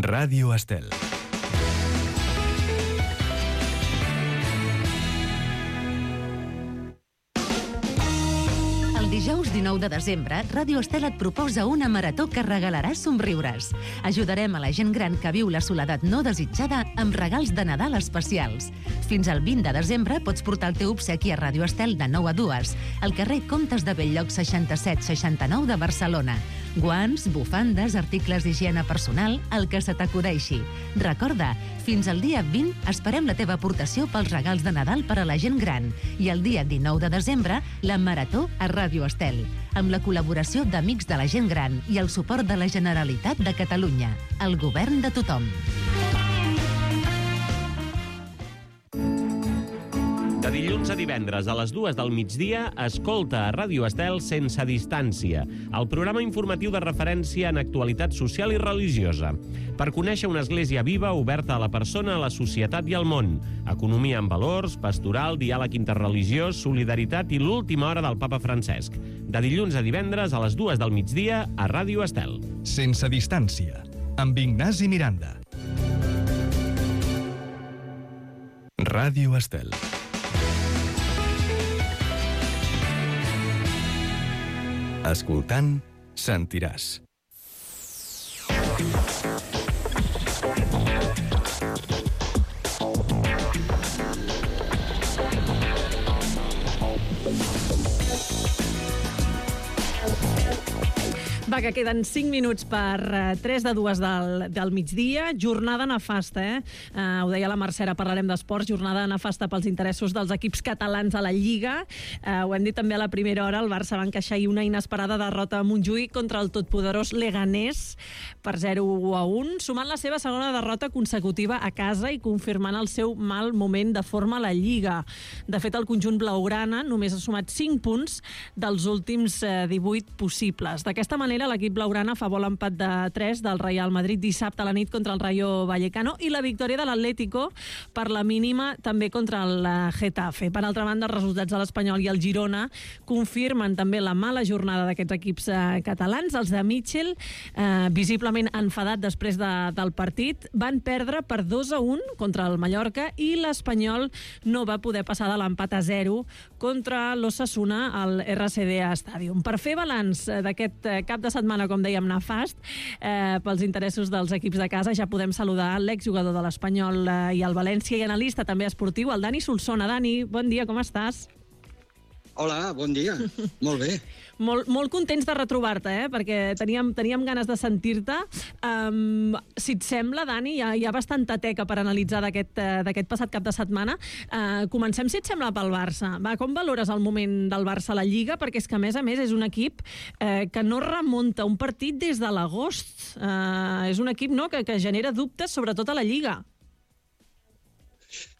Ràdio Estel. El dijous dinou de desembre, Ràdio Estel et proposa una marató que regalarà somriures. Ajudarem a la gent gran que viu la soledat no desitjada amb regals de Nadal especials. Fins al vint de desembre pots portar el teu obsequi a Ràdio Estel de nou a dues, al carrer Comtes de Belllloc seixanta-set seixanta-nou de Barcelona. Guants, bufandes, articles d'higiene personal, el que se t'acudeixi. Recorda, fins al dia vint esperem la teva aportació pels regals de Nadal per a la gent gran. I el dia dinou de desembre, la marató a Ràdio Estel, amb la col·laboració d'Amics de la Gent Gran i el suport de la Generalitat de Catalunya. El govern de tothom. De dilluns a divendres a les dues del migdia, escolta a Ràdio Estel Sense Distància, el programa informatiu de referència en actualitat social i religiosa. Per conèixer una església viva, oberta a la persona, a la societat i al món. Economia amb valors, pastoral, diàleg interreligiós, solidaritat i l'última hora del papa Francesc. De dilluns a divendres a les dues del migdia a Ràdio Estel. Sense Distància, amb Ignasi Miranda. Ràdio Estel. Escoltant sentiràs. Va, que queden cinc minuts per uh, tres de dues del, del migdia. Jornada nefasta, eh? Uh, ho deia la Mercè, ara parlarem d'esports. Jornada nefasta pels interessos dels equips catalans a la Lliga. Uh, ho hem dit també a la primera hora. El Barça va encaixar ahir una inesperada derrota a Montjuïc contra el totpoderós Leganés per zero a un, sumant la seva segona derrota consecutiva a casa i confirmant el seu mal moment de forma a la Lliga. De fet, el conjunt blaugrana només ha sumat cinc punts dels últims uh, divuit possibles. D'aquesta manera, l'equip blaugrana fa vol empat de tres del Real Madrid dissabte a la nit contra el Rayo Vallecano i la victòria de l'Atlético per la mínima també contra el Getafe. Per altra banda, els resultats de l'Espanyol i el Girona confirmen també la mala jornada d'aquests equips eh, catalans. Els de Mitchell, eh, visiblement enfadat després de, del partit, van perdre per dos a un contra el Mallorca i l'Espanyol no va poder passar de l'empat a zero contra l'Osasuna al R C D A Stadium. Per fer balanç d'aquest cap de setmana, com dèiem, nefast, eh, pels interessos dels equips de casa, ja podem saludar l'exjugador de l'Espanyol eh, i el València i analista també esportiu, el Dani Solsona. Dani, bon dia, com estàs? Hola, bon dia. Molt bé. Molt, molt contents de retrobar-te, eh? Perquè teníem, teníem ganes de sentir-te. Um, si et sembla, Dani, hi ha, hi ha bastanta teca per analitzar d'aquest uh, passat cap de setmana. Uh, comencem, si et sembla, pel Barça. Va, com valores el moment del Barça a la Lliga? Perquè és que, a més a més, és un equip uh, que no remunta un partit des de l'agost. Uh, és un equip, no?, que, que genera dubtes, sobretot a la Lliga.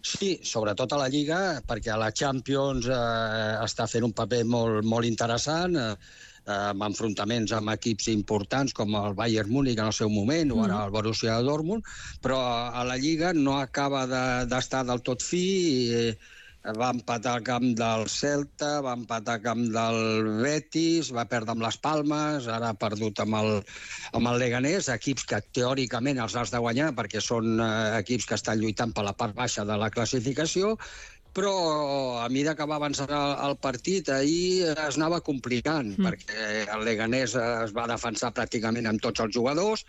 Sí, sobretot a la Lliga, perquè a la Champions eh, està fent un paper molt, molt interessant, eh, amb enfrontaments amb equips importants com el Bayern Múnich en el seu moment, mm. o ara el Borussia Dortmund, però a la Lliga no acaba d'estar de, del tot fi. Eh, va empatar al camp del Celta, va empatar al camp del Betis, va perdre amb les Palmes, ara ha perdut amb el, amb el Leganés, equips que teòricament els has de guanyar perquè són eh, equips que estan lluitant per la part baixa de la classificació, però a mesura que va avançar el, el partit, ahir es anava complicant, mm. perquè el Leganés es va defensar pràcticament amb tots els jugadors,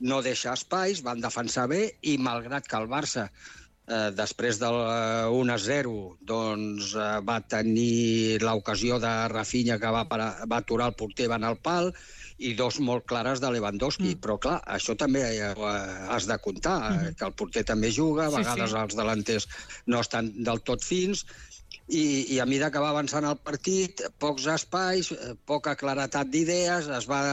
no deixa espais, van defensar bé, i malgrat que el Barça Eh, després del un a zero doncs, eh, va tenir l'ocasió de Rafinha que va, parar, va aturar el porter, va anar al pal, i dos molt clares de Lewandowski. Mm. Però, clar, això també eh, has de comptar, mm. que el porter també juga, a vegades sí, sí. els delanters no estan del tot fins, i, i a mesura que va avançant el partit, pocs espais, poca claretat d'idees, es va,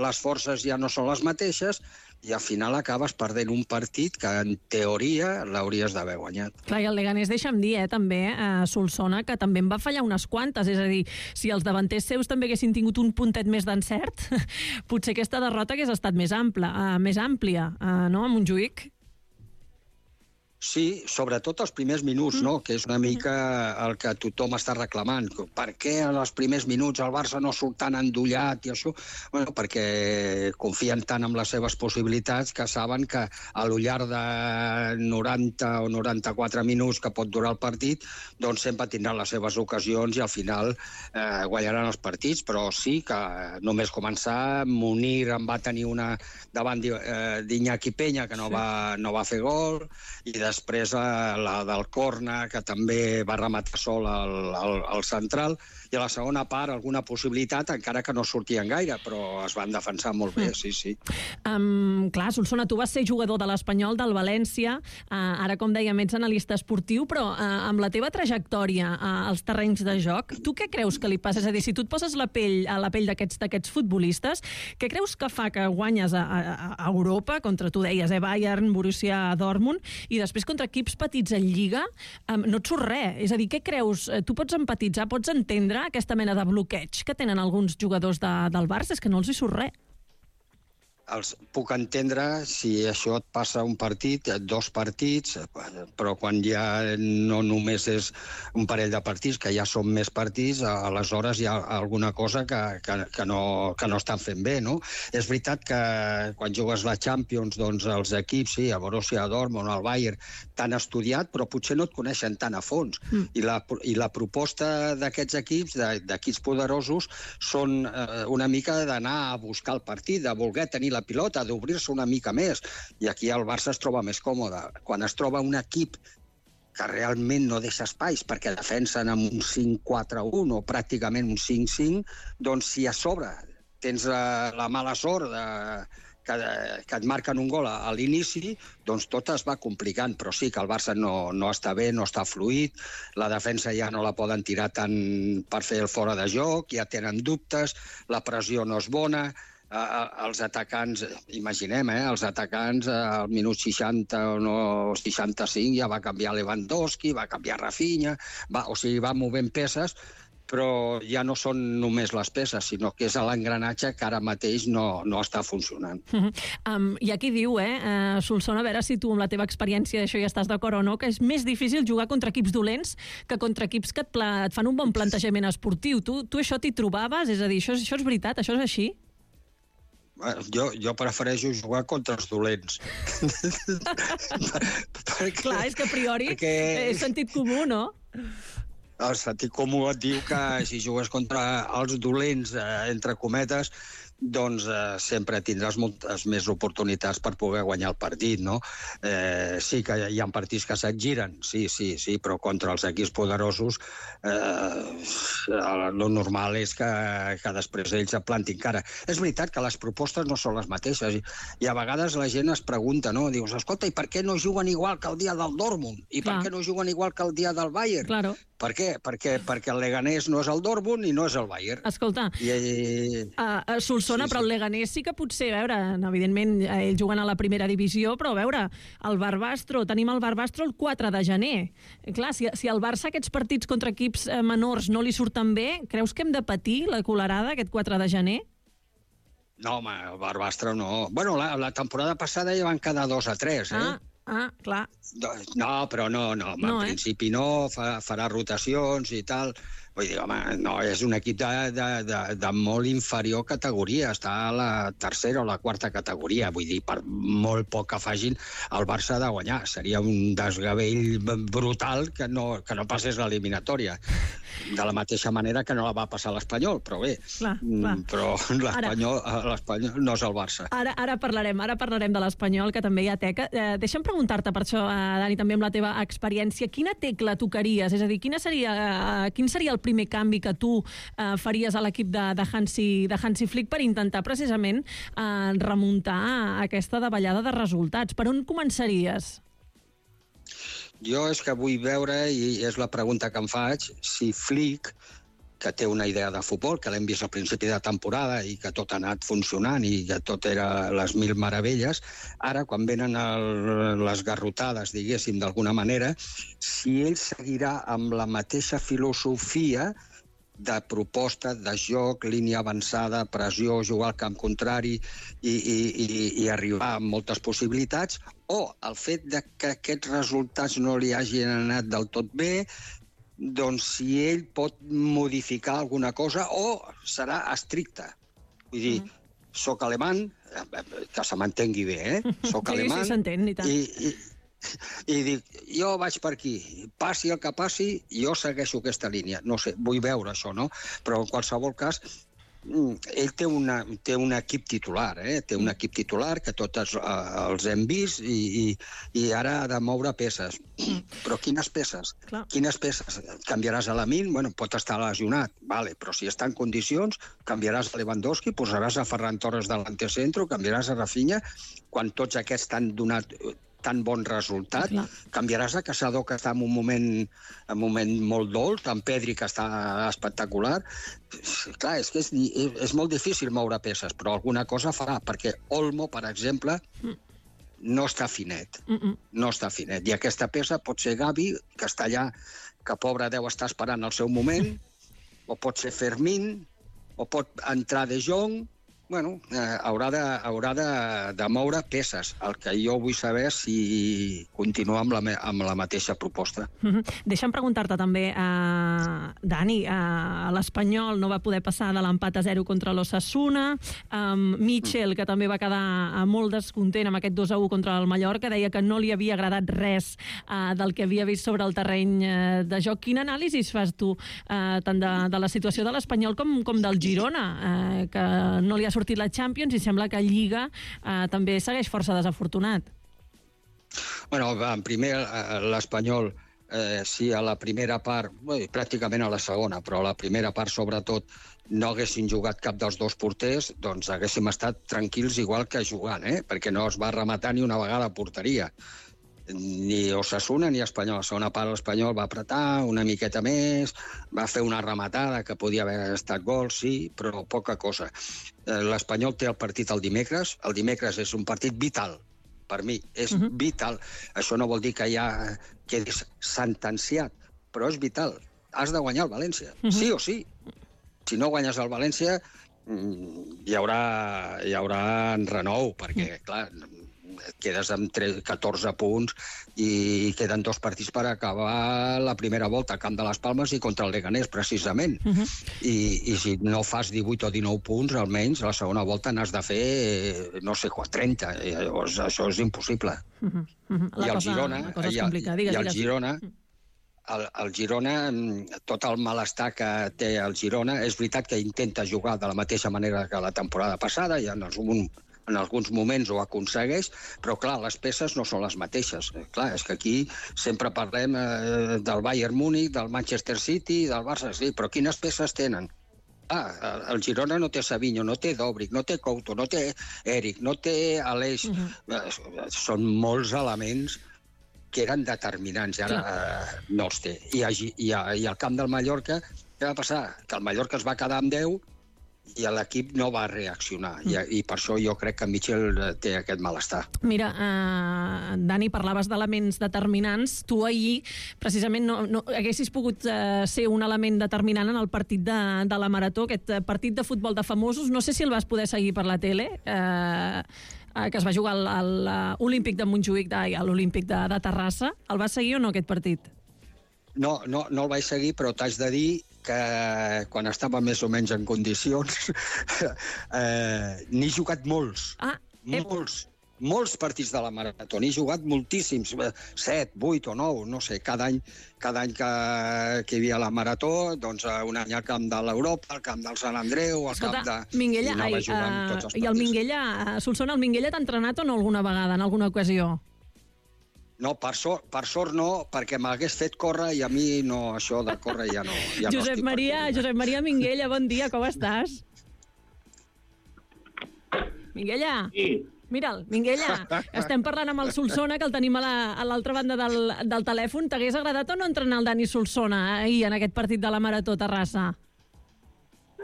les forces ja no són les mateixes, i al final acabes perdent un partit que, en teoria, l'hauries d'haver guanyat. Clar, i el Leganés, deixa'm dir, eh, també, a Solsona, que també en va fallar unes quantes. És a dir, si els davanters seus també haguessin tingut un puntet més d'encert, potser aquesta derrota hagués estat més ampla, uh, més àmplia, uh, no?, a Montjuïc. Sí, sobretot els primers minuts, no? Que és una mica el que tothom està reclamant. Per què en els primers minuts el Barça no surt tan endollat i això? Bueno, perquè confien tant en les seves possibilitats que saben que a lo llarg de noranta o noranta-quatre minuts que pot durar el partit, doncs sempre tindran les seves ocasions i al final eh, guanyaran els partits. Però sí que només començar, Munir en va tenir una davant d'Iñaki Peña, que no va, no va fer gol, i després la del Corna, que també va rematar sol al, al, al central, i a la segona part alguna possibilitat, encara que no sortien gaire, però es van defensar molt bé, sí, sí. Um, clar, Solsona, tu vas ser jugador de l'Espanyol, del València, uh, ara, com dèiem, ets analista esportiu, però uh, amb la teva trajectòria uh, als terrenys de joc, tu què creus que li passa? És a dir, si tu et poses la pell a la pell d'aquests d'aquests futbolistes, què creus que fa que guanyes a, a, a Europa, contra, tu deies, eh, Bayern, Borussia Dortmund, i després contra equips petits en Lliga, um, no et surt res? És a dir, què creus? Tu pots empatitzar, pots entendre aquesta mena de bloqueig que tenen alguns jugadors de, del Barça? És que no els hi surt res. els puc entendre si això et passa un partit, dos partits, però quan ja no només és un parell de partits, que ja són més partits, aleshores hi ha alguna cosa que, que, que, no, que no estan fent bé, no? És veritat que quan jugues la Champions, doncs els equips, sí, el Borussia Dortmund, el Bayern, t'han estudiat, però potser no et coneixen tan a fons. Mm. I, la, I la proposta d'aquests equips, d'equips poderosos, són eh, una mica d'anar a buscar el partit, de voler tenir la pilota, d'obrir-se una mica més. I aquí el Barça es troba més còmode. Quan es troba un equip que realment no deixa espais perquè defensen amb un cinc quatre un o pràcticament un cinc cinc, doncs si a sobre tens la, la mala sort de, que, que et marquen un gol a, a l'inici, doncs tot es va complicant. Però sí que el Barça no, no està bé, no està fluid, la defensa ja no la poden tirar tant per fer el fora de joc, ja tenen dubtes, la pressió no és bona. Uh, els atacants, imaginem, eh, els atacants uh, al minut seixanta o no, seixanta-cinc ja va canviar Lewandowski, va canviar Rafinha, va, o sigui, va movent peces, però ja no són només les peces, sinó que és l'engranatge que ara mateix no, no està funcionant. Uh -huh. um, I aquí diu, eh, uh, Solsona, a veure si tu amb la teva experiència d'això ja estàs d'acord o no, que és més difícil jugar contra equips dolents que contra equips que et, pla et fan un bon plantejament esportiu. Tu, tu això t'hi trobaves? És a dir, això, això és veritat? Això és així? Jo, jo prefereixo jugar contra els dolents. perquè, clar, és que a priori perquè... és sentit comú, no? El sentit comú et diu que si jugues contra els dolents, eh, entre cometes, doncs eh, sempre tindràs moltes més oportunitats per poder guanyar el partit, no? Eh, sí que hi ha partits que se't giren, sí, sí, sí, però contra els equips poderosos eh, el normal és que, que després ells et plantin cara. És veritat que les propostes no són les mateixes i, i a vegades la gent es pregunta, no? Dius, escolta, i per què no juguen igual que el dia del Dortmund? I Clar. per què no juguen igual que el dia del Bayern? Claro. Per què? Perquè, perquè el Leganés no és el Dortmund i no és el Bayern. Escolta, I, i... a, a Solsona, sí, sí. Però el Leganés sí que potser, a veure, evidentment ells juguen a la primera divisió, però a veure, el Barbastro, tenim el Barbastro el quatre de gener. Clar, si, si al Barça aquests partits contra equips eh, menors no li surten bé, creus que hem de patir la colerada aquest quatre de gener? No, home, el Barbastro no. Bueno, la, la temporada passada ja van quedar dos a tres, eh? Ah. Ah, clar. No, però no, no, no en eh? principi no, fa, farà rotacions i tal. Vull dir, home, no, és un equip de, de, de, de molt inferior categoria, està a la tercera o la quarta categoria, vull dir, per molt poc que facin, el Barça ha de guanyar. Seria un desgavell brutal que no, que no passés l'eliminatòria. De la mateixa manera que no la va passar l'Espanyol, però bé, clar, clar. però l'Espanyol no és el Barça. Ara, ara parlarem ara parlarem de l'Espanyol, que també hi ha teca. Eh, deixa'm preguntar-te per això, eh, Dani, també amb la teva experiència, quina tecla tocaries? És a dir, quina seria, eh, quin seria el primer canvi que tu eh, faries a l'equip de, de, Hansi, de Hansi Flick per intentar precisament eh, remuntar aquesta davallada de resultats? Per on començaries? Jo és que vull veure, i és la pregunta que em faig, si Flick, que té una idea de futbol, que l'hem vist al principi de temporada i que tot ha anat funcionant i que tot era les mil meravelles, ara, quan venen el, les garrotades, diguéssim, d'alguna manera, si ell seguirà amb la mateixa filosofia de proposta, de joc, línia avançada, pressió, jugar al camp contrari i, i, i, i arribar amb moltes possibilitats, o el fet de que aquests resultats no li hagin anat del tot bé, doncs si ell pot modificar alguna cosa o serà estricte. Vull dir, mm. soc alemany, que se m'entengui bé, eh? Soc sí, alemany sí, s'entén, i tant. I, i, i dic, jo vaig per aquí, passi el que passi, jo segueixo aquesta línia. No sé, vull veure això, no? Però en qualsevol cas, ell té, una, té un equip titular, eh? té un equip titular que tots uh, els hem vist i, i, i ara ha de moure peces. Però quines peces? Clar. Quines peces? Canviaràs a Lamine? Bueno, pot estar lesionat, vale, però si està en condicions, canviaràs a Lewandowski, posaràs a Ferran Torres delante centro, canviaràs a Rafinha, quan tots aquests t'han donat tan bon resultat, Clar. canviaràs a Caçador, que està en un moment, en un moment molt dolç, en Pedri, que està espectacular. Clar, és que és, és molt difícil moure peces, però alguna cosa farà, perquè Olmo, per exemple, no està finet. Mm-mm. No està finet. I aquesta peça pot ser Gavi, que està allà, que pobre deu estar esperant el seu moment, o pot ser Fermín, o pot entrar De Jong, bueno, eh, haurà, de, haurà de, de moure peces. El que jo vull saber és si continua amb la, amb la mateixa proposta. Mm-hmm. Deixa'm preguntar-te també, uh, Dani, uh, l'Espanyol no va poder passar de l'empat a zero contra l'Osasuna, um, Mitchell, que també va quedar uh, molt descontent amb aquest dos a u contra el Mallorca, deia que no li havia agradat res uh, del que havia vist sobre el terreny uh, de joc. Quin anàlisi fas tu, uh, tant de, de la situació de l'Espanyol com, com del Girona, uh, que no li ha sortit la Champions i sembla que Lliga eh, també segueix força desafortunat? Bueno, en primer, l'Espanyol, eh, si a la primera part, bé, pràcticament a la segona, però a la primera part, sobretot, no haguessin jugat cap dels dos porters, doncs haguéssim estat tranquils igual que jugant, eh? Perquè no es va rematar ni una vegada a porteria. Ni Osasuna ni Espanyol. A la segona part l'Espanyol va apretar una miqueta més, va fer una rematada que podia haver estat gol, sí, però poca cosa. L'Espanyol té el partit el dimecres. El dimecres és un partit vital, per mi, és uh-huh. vital. Això no vol dir que ja quedis sentenciat, però és vital. Has de guanyar el València, uh-huh. sí o sí. Si no guanyes el València, hi haurà, hi haurà renou, perquè, uh-huh. clar, et quedes amb catorze punts i queden dos partits per acabar la primera volta al Camp de les Palmes i contra el Leganés, precisament. Uh-huh. I, I si no fas divuit o dinou punts, almenys, a la segona volta n'has de fer, no sé, trenta. I llavors, això és impossible. Uh-huh. Uh-huh. I el Girona... La cosa és complicada. Digues, I el digues. Girona... El, el Girona, tot el malestar que té el Girona, és veritat que intenta jugar de la mateixa manera que la temporada passada, i en algun en alguns moments ho aconsegueix, però, clar, les peces no són les mateixes. Clar, és que aquí sempre parlem eh, del Bayern Múnich, del Manchester City, del Barça, sí, però quines peces tenen? Ah, el Girona no té Savinho, no té Dobric, no té Couto, no té Eric, no té Aleix. Uh-huh. Són molts elements que eren determinants, i ara eh, no els té. I, a, i, a, I al camp del Mallorca, què va passar? Que el Mallorca es va quedar amb deu i l'equip no va reaccionar. Mm. I, I per això jo crec que Mitchell té aquest malestar. Mira, uh, Dani, parlaves d'elements determinants. Tu ahir, precisament, no, no haguessis pogut uh, ser un element determinant en el partit de, de la Marató, aquest partit de futbol de famosos. No sé si el vas poder seguir per la tele, uh, uh, que es va jugar al, al uh, Olímpic de Montjuïc, ai, a l'Olímpic de, de Terrassa. El vas seguir o no, aquest partit? No, no, no el vaig seguir, però t'haig de dir que quan estava més o menys en condicions eh, n'he jugat molts. Ah, molts. Molts partits de la Marató. N'he jugat moltíssims. Set, vuit o nou, no sé. Cada any, cada any que, que hi havia la Marató, doncs un any al camp de l'Europa, al camp del Sant Andreu, al Escolta, camp de... Minguella, ai, uh, i el Minguella, Solsona, el Minguella t'ha entrenat o no alguna vegada, en alguna ocasió? No, per sort, per sort no, perquè m'hagués fet córrer i a mi no, això de córrer ja no... Ja Josep, no Maria, Josep Maria Minguella, bon dia, com estàs? Minguella? Sí. Mira'l, Minguella, estem parlant amb el Solsona, que el tenim a l'altra la, banda del, del telèfon. T'hagués agradat o no entrenar el Dani Solsona ahir en aquest partit de la Marató Terrassa?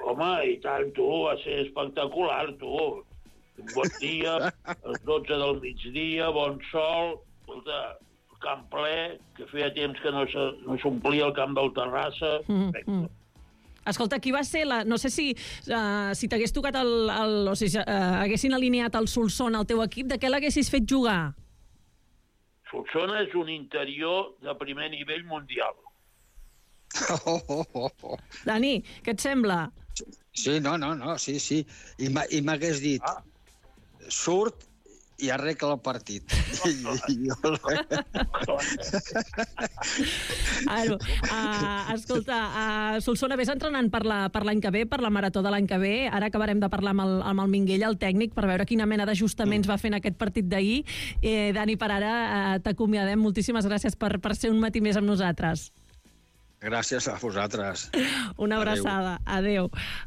Home, i tant, tu, va ser espectacular, tu. Un bon dia, a les dotze del migdia, bon sol... Escolta, camp ple, que feia temps que no s'omplia el camp del Terrassa. Mm, mm. Escolta, qui va ser la... No sé si, uh, si t'hagués tocat el... el o si uh, haguessin alineat el Solsona al teu equip, de què l'haguessis fet jugar? Solsona és un interior de primer nivell mundial. Oh, oh, oh, oh. Dani, què et sembla? Sí, no, no, no, sí, sí. I m'hagués dit, ah. surt i arregla el partit. Ara, uh, escolta, uh, Solsona, vés entrenant per l'any que ve, per la Marató de l'any que ve. Ara acabarem de parlar amb el, amb el Minguella, el tècnic, per veure quina mena d'ajustaments mm. va fer en aquest partit d'ahir. Eh, Dani, per ara uh, t'acomiadem. Moltíssimes gràcies per, per ser un matí més amb nosaltres. Gràcies a vosaltres. Una abraçada. Adéu.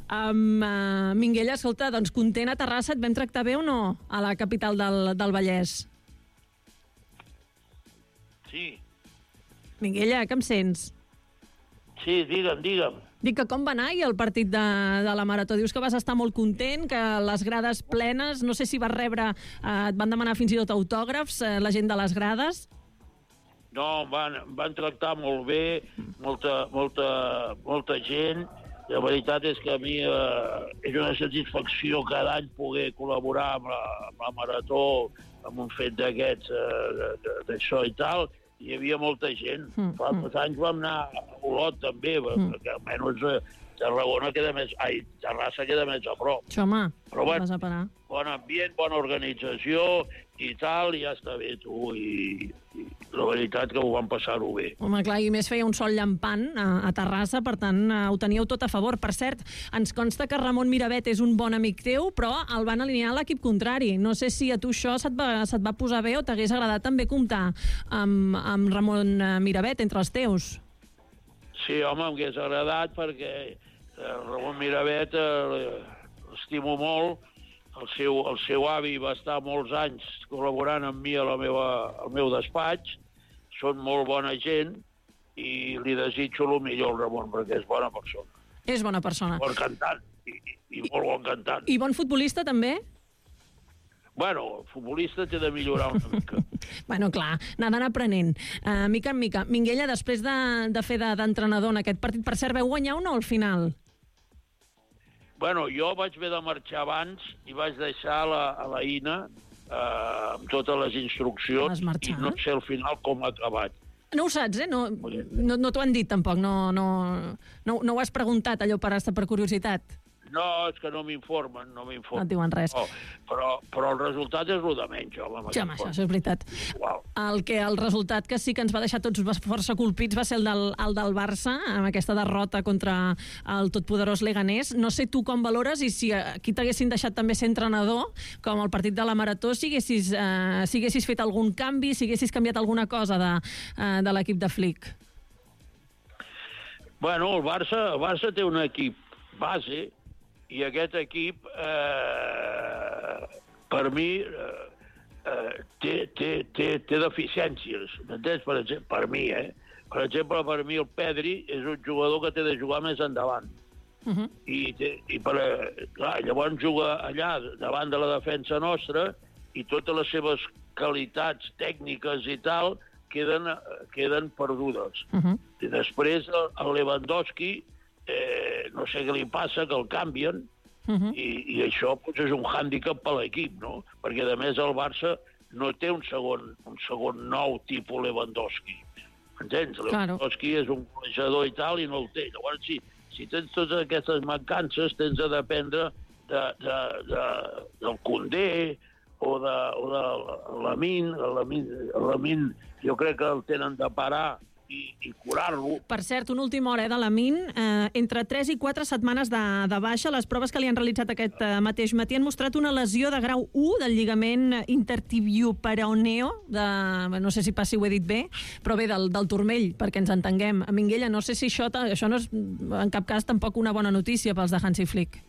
Um, uh, Minguella, escolta, doncs content a Terrassa, et vam tractar bé o no a la capital del, del Vallès? Sí. Minguella, que em sents? Sí, digue'm, digue'm. Dic que com va anar el partit de, de la Marató? Dius que vas estar molt content, que les grades plenes, no sé si vas rebre, eh, et van demanar fins i tot autògrafs, eh, la gent de les grades? No, van, van tractar molt bé, molta, molta, molta gent, la veritat és que a mi eh, és una satisfacció cada any poder col·laborar amb la, amb la Marató, amb un fet d'aquests, eh, d'això i tal. Hi havia molta gent. Mm, Fa mm. uns anys vam anar a Olot, també, mm. perquè almenys eh, Tarragona queda més... Ai, Terrassa queda més a prop. Això, home, però bueno, vas a parar. Bon ambient, bona organització i tal, i ja està bé, tu. I, i la veritat que ho vam passar-ho bé. Home, clar, i més feia un sol llampant a, a Terrassa, per tant, ho teníeu tot a favor. Per cert, ens consta que Ramon Miravet és un bon amic teu, però el van alinear a l'equip contrari. No sé si a tu això se't va, se't va posar bé o t'hagués agradat també comptar amb, amb Ramon Miravet entre els teus. Sí, home, m'hagués agradat perquè eh, Ramon Miravet eh, l'estimo molt. El seu, el seu avi va estar molts anys col·laborant amb mi a la meva, al meu despatx. Són molt bona gent i li desitjo el millor al Ramon perquè és bona persona. És bona persona. Bon cantant i, i, i molt bon cantant. I bon futbolista també? Bueno, el futbolista té de millorar una mica. Bueno, clar, anant aprenent. Uh, mica en mica. Minguella, després de, de fer d'entrenador en aquest partit, per cert, veu guanyar o no al final? Bueno, jo vaig haver de marxar abans i vaig deixar la, a la Ina eh, amb totes les instruccions i no sé al final com ha acabat. No ho saps, eh? No, no, no t'ho han dit, tampoc. No, no, no, no ho has preguntat, allò per, per curiositat. No, és que no m'informen, no m'informen. No et diuen res. No, però, però el resultat és el de menys, home. Sí, home, això, això és veritat. Wow. El, que, el resultat que sí que ens va deixar tots força colpits va ser el del, el del Barça, amb aquesta derrota contra el totpoderós Leganés. No sé tu com valores i si aquí t'haguessin deixat també ser entrenador, com el partit de la Marató, si haguessis, eh, si haguessis fet algun canvi, si haguessis canviat alguna cosa de, eh, de l'equip de Flick. Bueno, el Barça, el Barça té un equip base i aquest equip, eh, per mi, eh, té, té, té, té deficiències. M'entens? Per exemple, per mi, eh? Per exemple, per mi el Pedri és un jugador que té de jugar més endavant. Uh-huh. I, té, i per, clar, llavors juga allà davant de la defensa nostra i totes les seves qualitats tècniques i tal queden, queden perdudes. Uh-huh. I després el, el Lewandowski, Eh, no sé què li passa, que el canvien, uh-huh. i, i això pues, és un hàndicap per l'equip, no? Perquè, a més, el Barça no té un segon, un segon nou tipus Lewandowski. Entens? Claro. Lewandowski és un golejador i tal, i no el té. Llavors, si, si tens totes aquestes mancances, tens de dependre de, de, de, del Koundé o de, o de l'Amin. L'Amin, jo crec que el tenen de parar i, i curar-lo. Per cert, una última hora eh, de l'Amin. Eh, entre tres i quatre setmanes de, de baixa, les proves que li han realitzat aquest eh, mateix matí han mostrat una lesió de grau u del lligament intertibioperoneo, de, no sé si pas si ho he dit bé, però bé, del, del turmell, perquè ens entenguem. A Minguella, no sé si això, això no és en cap cas tampoc una bona notícia pels de Hansi Flick.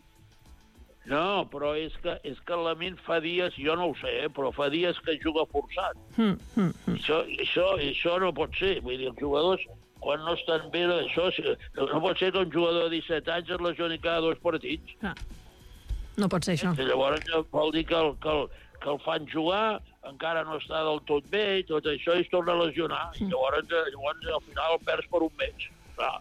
No, però és que, és que l'Amin fa dies, jo no ho sé, eh, però fa dies que juga forçat. Mm, mm, mm. Això, això, això no pot ser. Vull dir, els jugadors, quan no estan bé, això, no pot ser que un jugador de disset anys es lesioni cada dos partits. Ah. No pot ser això. I llavors vol dir que el, que, el, que el fan jugar, encara no està del tot bé, i tot això, i es torna a lesionar. Mm. I llavors, llavors al final el perds per un mes. Clar.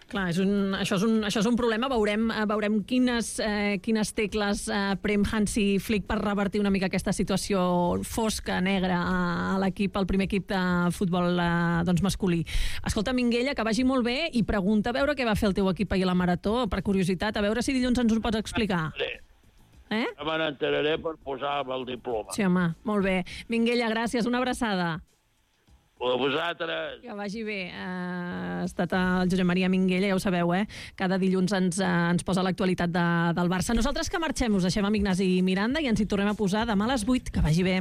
Clar, és un, això, és un, això és un problema. Veurem, veurem quines, eh, quines tecles eh, prem Hansi Flick per revertir una mica aquesta situació fosca, negra, a, a l'equip, al primer equip de futbol eh, doncs masculí. Escolta, Minguella, que vagi molt bé i pregunta a veure què va fer el teu equip ahir a la Marató, per curiositat, a veure si dilluns ens ho pots explicar. Eh? Me n'enteraré per posar el diploma. Sí, home, molt bé. Minguella, gràcies, una abraçada. A vosaltres. Que vagi bé. Uh, ha estat el Josep Maria Minguella, ja ho sabeu, eh? Cada dilluns ens, uh, ens posa l'actualitat de, del Barça. Nosaltres que marxem, us deixem amb Ignasi Miranda i ens hi tornem a posar demà a les vuit. Que vagi bé.